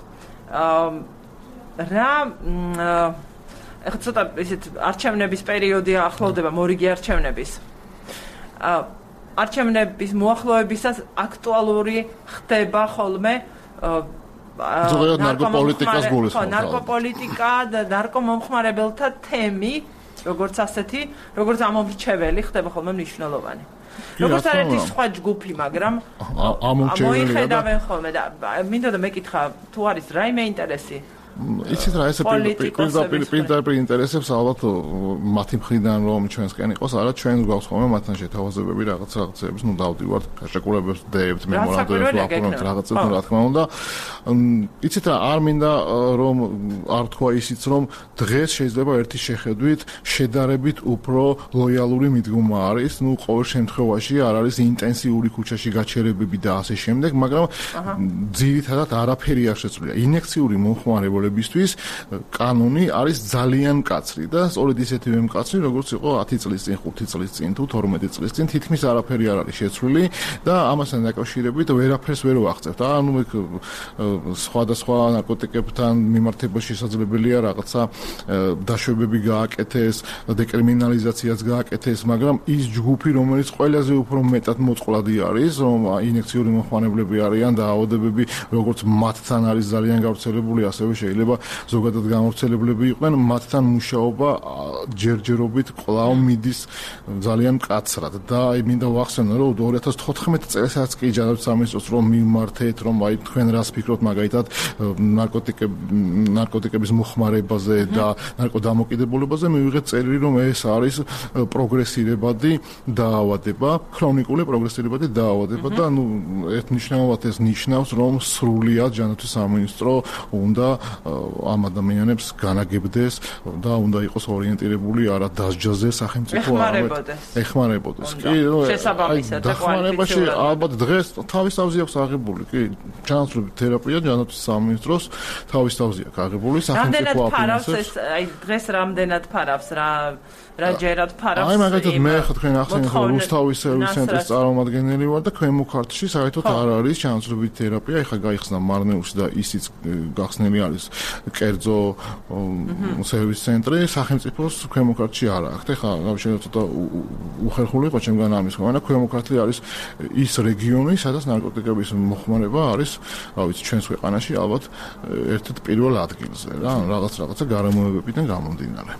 რა ეხლა ცოტა ისეთ არჩევნების პერიოდი ახლოვდება, მორიგი არჩევნების. არჩევნების მოახლოებისას აქტუალური ხდება ხოლმე ზოგადად ნარკოპოლიტიკას გულისხმობს. ნარკოპოლიტიკა და ნარკომომხმარებელთა თემი, როგორც ასეთი, როგორც ამომრჩეველი ხდება ხოლმე მნიშვნელოვანი. როგორც არის სხვა ჯგუფი, მაგრამ მოიხედავენ ხოლმე და მინდა და მეკითხა, თუ არის რაიმე ინტერესი? იცით რა, ეს პირდაპირ ინტერესებს ალბათ მათი მხრიდან რომ ჩვენსკენ იყოს, არა ჩვენ გვაქვს ხოლმე მათთან შეთავაზებები რაღაცების, ნუ დავდივართ გაშეკულებებს, დეებთ, მემორანდუმებს ვაფორმებთ რაღაცებს, რა თქმა უნდა. იცით რა, არ მინდა რომ არ თქვა ისიც, რომ დღეს შეიძლება ერთი შეხედვით შედარებით უფრო ლოიალური მიდგომა არის, ნუ ყოველ შემთხვევაში არ არის ინტენსიური ქუჩაში გაჩერებები და ასე შემდეგ, მაგრამ ძირითადად არაფერი არ შეცვლია. ინიექციური მომხმარებლებისთვის კანონი არის ძალიან მკაცრი და სწორედ ისეთივე მკაცრი, როგორც იყო 10 წლის წინ, 5 წლის წინ თუ 12 წლის წინ, თითქმის არაფერი არ არის შეცვლილი და ამასთან დაკავშირებით ვერაფერს ვერ ვაღწევთ. ანუ სხვადასხვა ნარკოტიკებთან მიმართებაში შესაძლებელია რაღაცა დაშვებები გააკეთეს, დეკრიმინალიზაციაც გააკეთეს, მაგრამ ის ჯგუფი, რომელიც ყველაზე უფრო მეტად მოწყვლადი არის, რომ ინიექციური მომხმარებლები არიან და აოდებები, როგორც მათთან არის ძალიან გავრცელებული, ასევე შეიძლება ზოგადად გამავრცელებლები იყვნენ, მათთან მუშაობა ჯერჯერობით კვლავ მიდის ძალიან მკაცრად და აი მინდა ვახსენო, რომ 2014 წელსაც კი ჯანდაცვის სამინისტროს რომ მიმართეთ, რომ აი თქვენ რას ფიქრობთ მაგალითად ნარკოტიკების მოხმარებაზე და ნარკოდამოკიდებულებაზე, მივიღეთ წერილი, რომ ეს არის პროგრესირებადი დაავადება, ქრონიკული პროგრესირებადი დაავადება და ნუ ერთნიშნულად ეს ნიშნავს, რომ სრულიად ჯანდაცვის სამინისტრო უნდა ამ ადამიანებს განაგებდეს და უნდა იყოს ორიენტირებული არა დასჯაზე სახელმწიფო ეხმარებოდეს. კი, დახმარებაში ალბათ დღეს თავის თავზე აქვს აღებული, კი, ჩანაცვლებით თერაპია ჯანდაცვის სამინისტროს თავის თავზე აქვს აღებული სახელმწიფო აფინანსებს. აი დღეს რამდენად ფარავს რა ჯერად ფარავს? აი მაგალითად მე ხა თქვენ ახსენეთ, რომ რუსთავის სერვის ცენტრის წარმომადგენელი ვარ და ქვემოქართლში საერთოდ არ არის ჩანაცვლებით თერაპია, ეხა გაიხსნა მარნეულში და ისიც გახსნილი არის კერძო სერვის ცენტრი, სახელმწიფოს ქვემოქართლში არ აქვს. ეხა შეიძლება ცოტა უხერხული იყო ჩემგან ამის ხმა, ქვემოქართლი არის ის რეგიონი, სადაც ნარკოტიკების მოხმარება არის, რა ვიცი, ჩვენს ქვეყანაში ალბათ ერთ-ერთ პირველ ადგილზე რა, რაღაცა გარემოებებიდან გამომდინარე.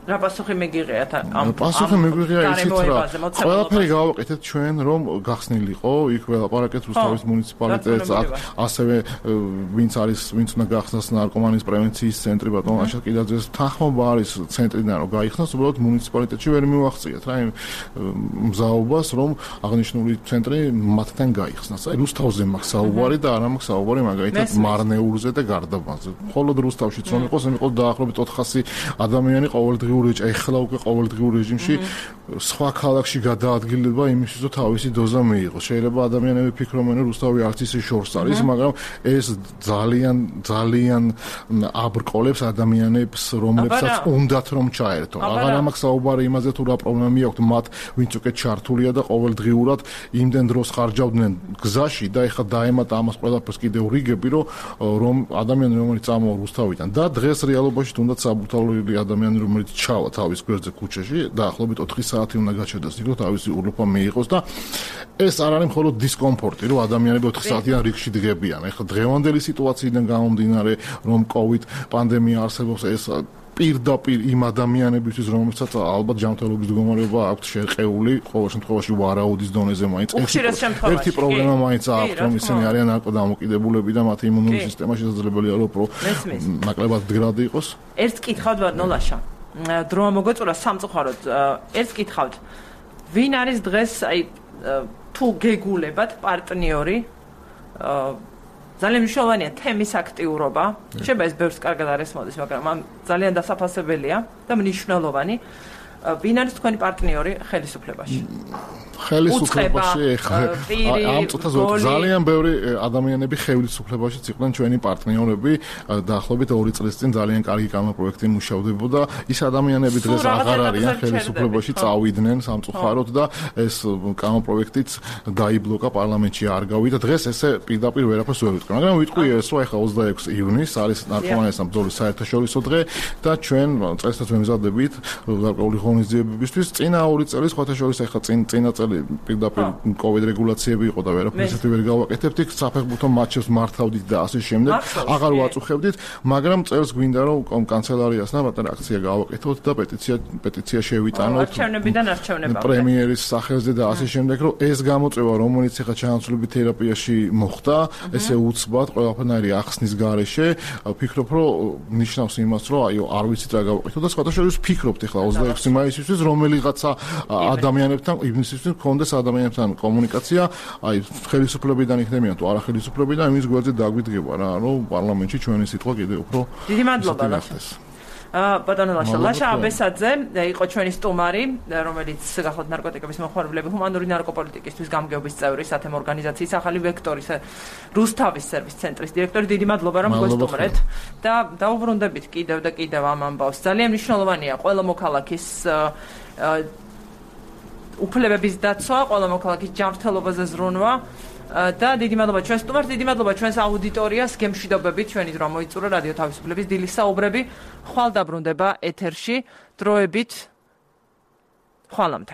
რა პასუხი მიგიღიათ ამ პასუხი მიგვიღია ისიც რა ყველაფერი გავაკეთეთ ჩვენ რომ გახსნილიყო იქ ველაპარაკეთ რუსთავის მუნიციპალიტეტს ასევე ვინც უნდა გახსნას ნარკომანიის პრევენციის ცენტრი ბატონ აშა კიდაძეს თანხმობა არის ცენტრიდან რომ გაიხსნას უბრალოდ მუნიციპალიტეტში ვერ მივახციეთ რა იმ მზაობას რომ აღნიშნული ცენტრი მათთან გაიხსნას აი რუსთავზე მაქვს საუბარი და არ მაქვს საუბარი მაგალითად მარნეულზე და გარდაბანზე მხოლოდ რუსთავშიც რომ იყოს იმიყო დაახლოებით 400 ადამიანი ყოველდღიურ ეხლა უკვე ყოველდღიურ რეჟიმში სხვა ქალაქში გადაადგილება იმისთვის რომ თავისი დოზა მიიღოს. შეიძლება ადამიანები ფიქრობენ რომ რუსთავი არც ისე შორს არის, მაგრამ ეს ძალიან აბრკოლებს ადამიანებს, რომლებსაც უნდათ რომ ჩაერთონ. აღარ ამაქვს საუბარი იმაზე თუ რა პრობლემები აქვთ მათ, ვინც უკვე ჩართულია და ყოველდღიურად იმდენ დროს ხარჯავდნენ გზაში და ეხლა დაემატა ამას ყველაფერს კიდევ რიგები, რომ ადამიანი რომელიც წამოვა რუსთავიდან და დღეს რეალობაში თუნდაც საბურთალოები ადამიანი რომელიც ჩავა თავის გვერდზე ქუჩაში დაახლოებით 4 საათი უნდა გაჩერდეს იქ რომ თავისი უрлუპა მიიღოს და ეს არ არის მხოლოდ დისკომფორტი რომ ადამიანები 4 საათიან რიგში დგებიან. ეხლა დღევანდელი სიტუაციიდან გამომდინარე რომ COVID პანდემია არსებობს ეს პირდაპირ იმ ადამიანებისთვის რომელსაც ალბათ ჯანმრთელობის მდგომარეობა აქვთ შერყეული ყოველ შემთხვევაში ვარაუდის დონეზე მაინც ერთი პრობლემა მაინც აქვთ რომ ისინი არიან ნარკოდამოკიდებულები და მათი იმუნური სისტემა შესაძლებელია რომ ნაკლებად მდგრადი იყოს. ერთს კითხავთ ვარნოლაშა დროა მოგეწურა სამწუხაროდ ერთს კითხავთ ვინ არის დღეს აი თუ გეგულებათ პარტნიორი ძალიან მნიშვნელოვანია თემის აქტიურობა შეიძლება ეს ბევრს კარგად არ ესმოდეს მაგრამ ამ ძალიან დასაფასებელია და მნიშვნელოვანი ვინ არის თქვენი პარტნიორი ხელისუფლებაში ხელისუფლებაში ამ წუთას ძალიან ბევრი ადამიანები ხელისუფლებაშიც იყვნენ ჩვენი პარტნიორები დაახლოებით 2 წლის წინ ძალიან კარგი კანონპროექტი მუშავდებოდა ის ადამიანები დღეს აღარ არიან ხელისუფლებაში წავიდნენ სამწუხაროდ და ეს კანონპროექტიც დაიბლოკა პარლამენტში არ გავიდა დღეს ესე პირდაპირ ვერაფერს ვერ ვიტყვი მაგრამ ვიტყვი ეს რომ ახლა 26 ივნისს არის ნარკომანიის ბრძოლის საერთაშორისო დღე და ჩვენ წესსაც ვემზადებით გარკვეული ღონისძიებებისთვის წინა 2 წელი სხვათა შორის ახლა წინა პირდაპირ COVID რეგულაციები იყო და ვერაფერს ვერ გავაკეთებთ იქ საფეხბურთო მაჩებს მართავდით და ასე შემდეგ აღარ ვაწუხებდით მაგრამ წელს გვინდა რომ კანცელარიასთან პატარა აქცია გავაკეთოთ და პეტიცია შევიტანოთ არჩევნებიდან არჩევნება პრემიერის სახელზე და ასე შემდეგ რომ ეს გამოწვევა რომელიც ახლა ჩანაცვლებით თერაპიაში მოხდა ესე უცბად ყველაფერი ახსნის გარეშე ვფიქრობ რომ ნიშნავს იმას რომ აიო არ ვიცით რა გავაკეთოთ და სხვათა შორის ვფიქრობთ ახლა 26 მაისისთვის რომელიღაცა ადამიანებთან ივნისისთვის კონდეს ადამიანებთან კომუნიკაცია, აი ხელისუფლებიდან იქნებიან თუ არა ხელისუფლებიდან იმის გვერდზე დაგვიდგება რა, რომ პარლამენტში ჩვენი სიტყვა კიდევ უფრო დიდი მადლობა ლაშა. ბატონო ლაშა აბესაძე იყო ჩვენი სტუმარი, რომელიც გახლავთ ნარკოტიკების მოხმარებლები ჰუმანური ნარკოპოლიტიკისთვის გამგეობის წევრი სათემო ორგანიზაციის ახალი ვექტორის რუსთავის სერვის ცენტრის დირექტორი. დიდი მადლობა რომ გვესტუმრეთ და დაუბრუნდებით კიდევ და კიდევ ამ ამბავს. ძალიან მნიშვნელოვანია ყველა მოქალაქის უფლებების დაცვა, ყველა მოქალაქის ჯანმრთელობაზე ზრუნვა და დიდი მადლობა ჩვენს სტუმარს, დიდი მადლობა ჩვენს აუდიტორიას, გემშვიდობებით ჩვენი დრო მოიწურა რადიო თავისუფლების დილის საუბრები. ხვალ დაბრუნდება ეთერში დროებით. ხვალამდე.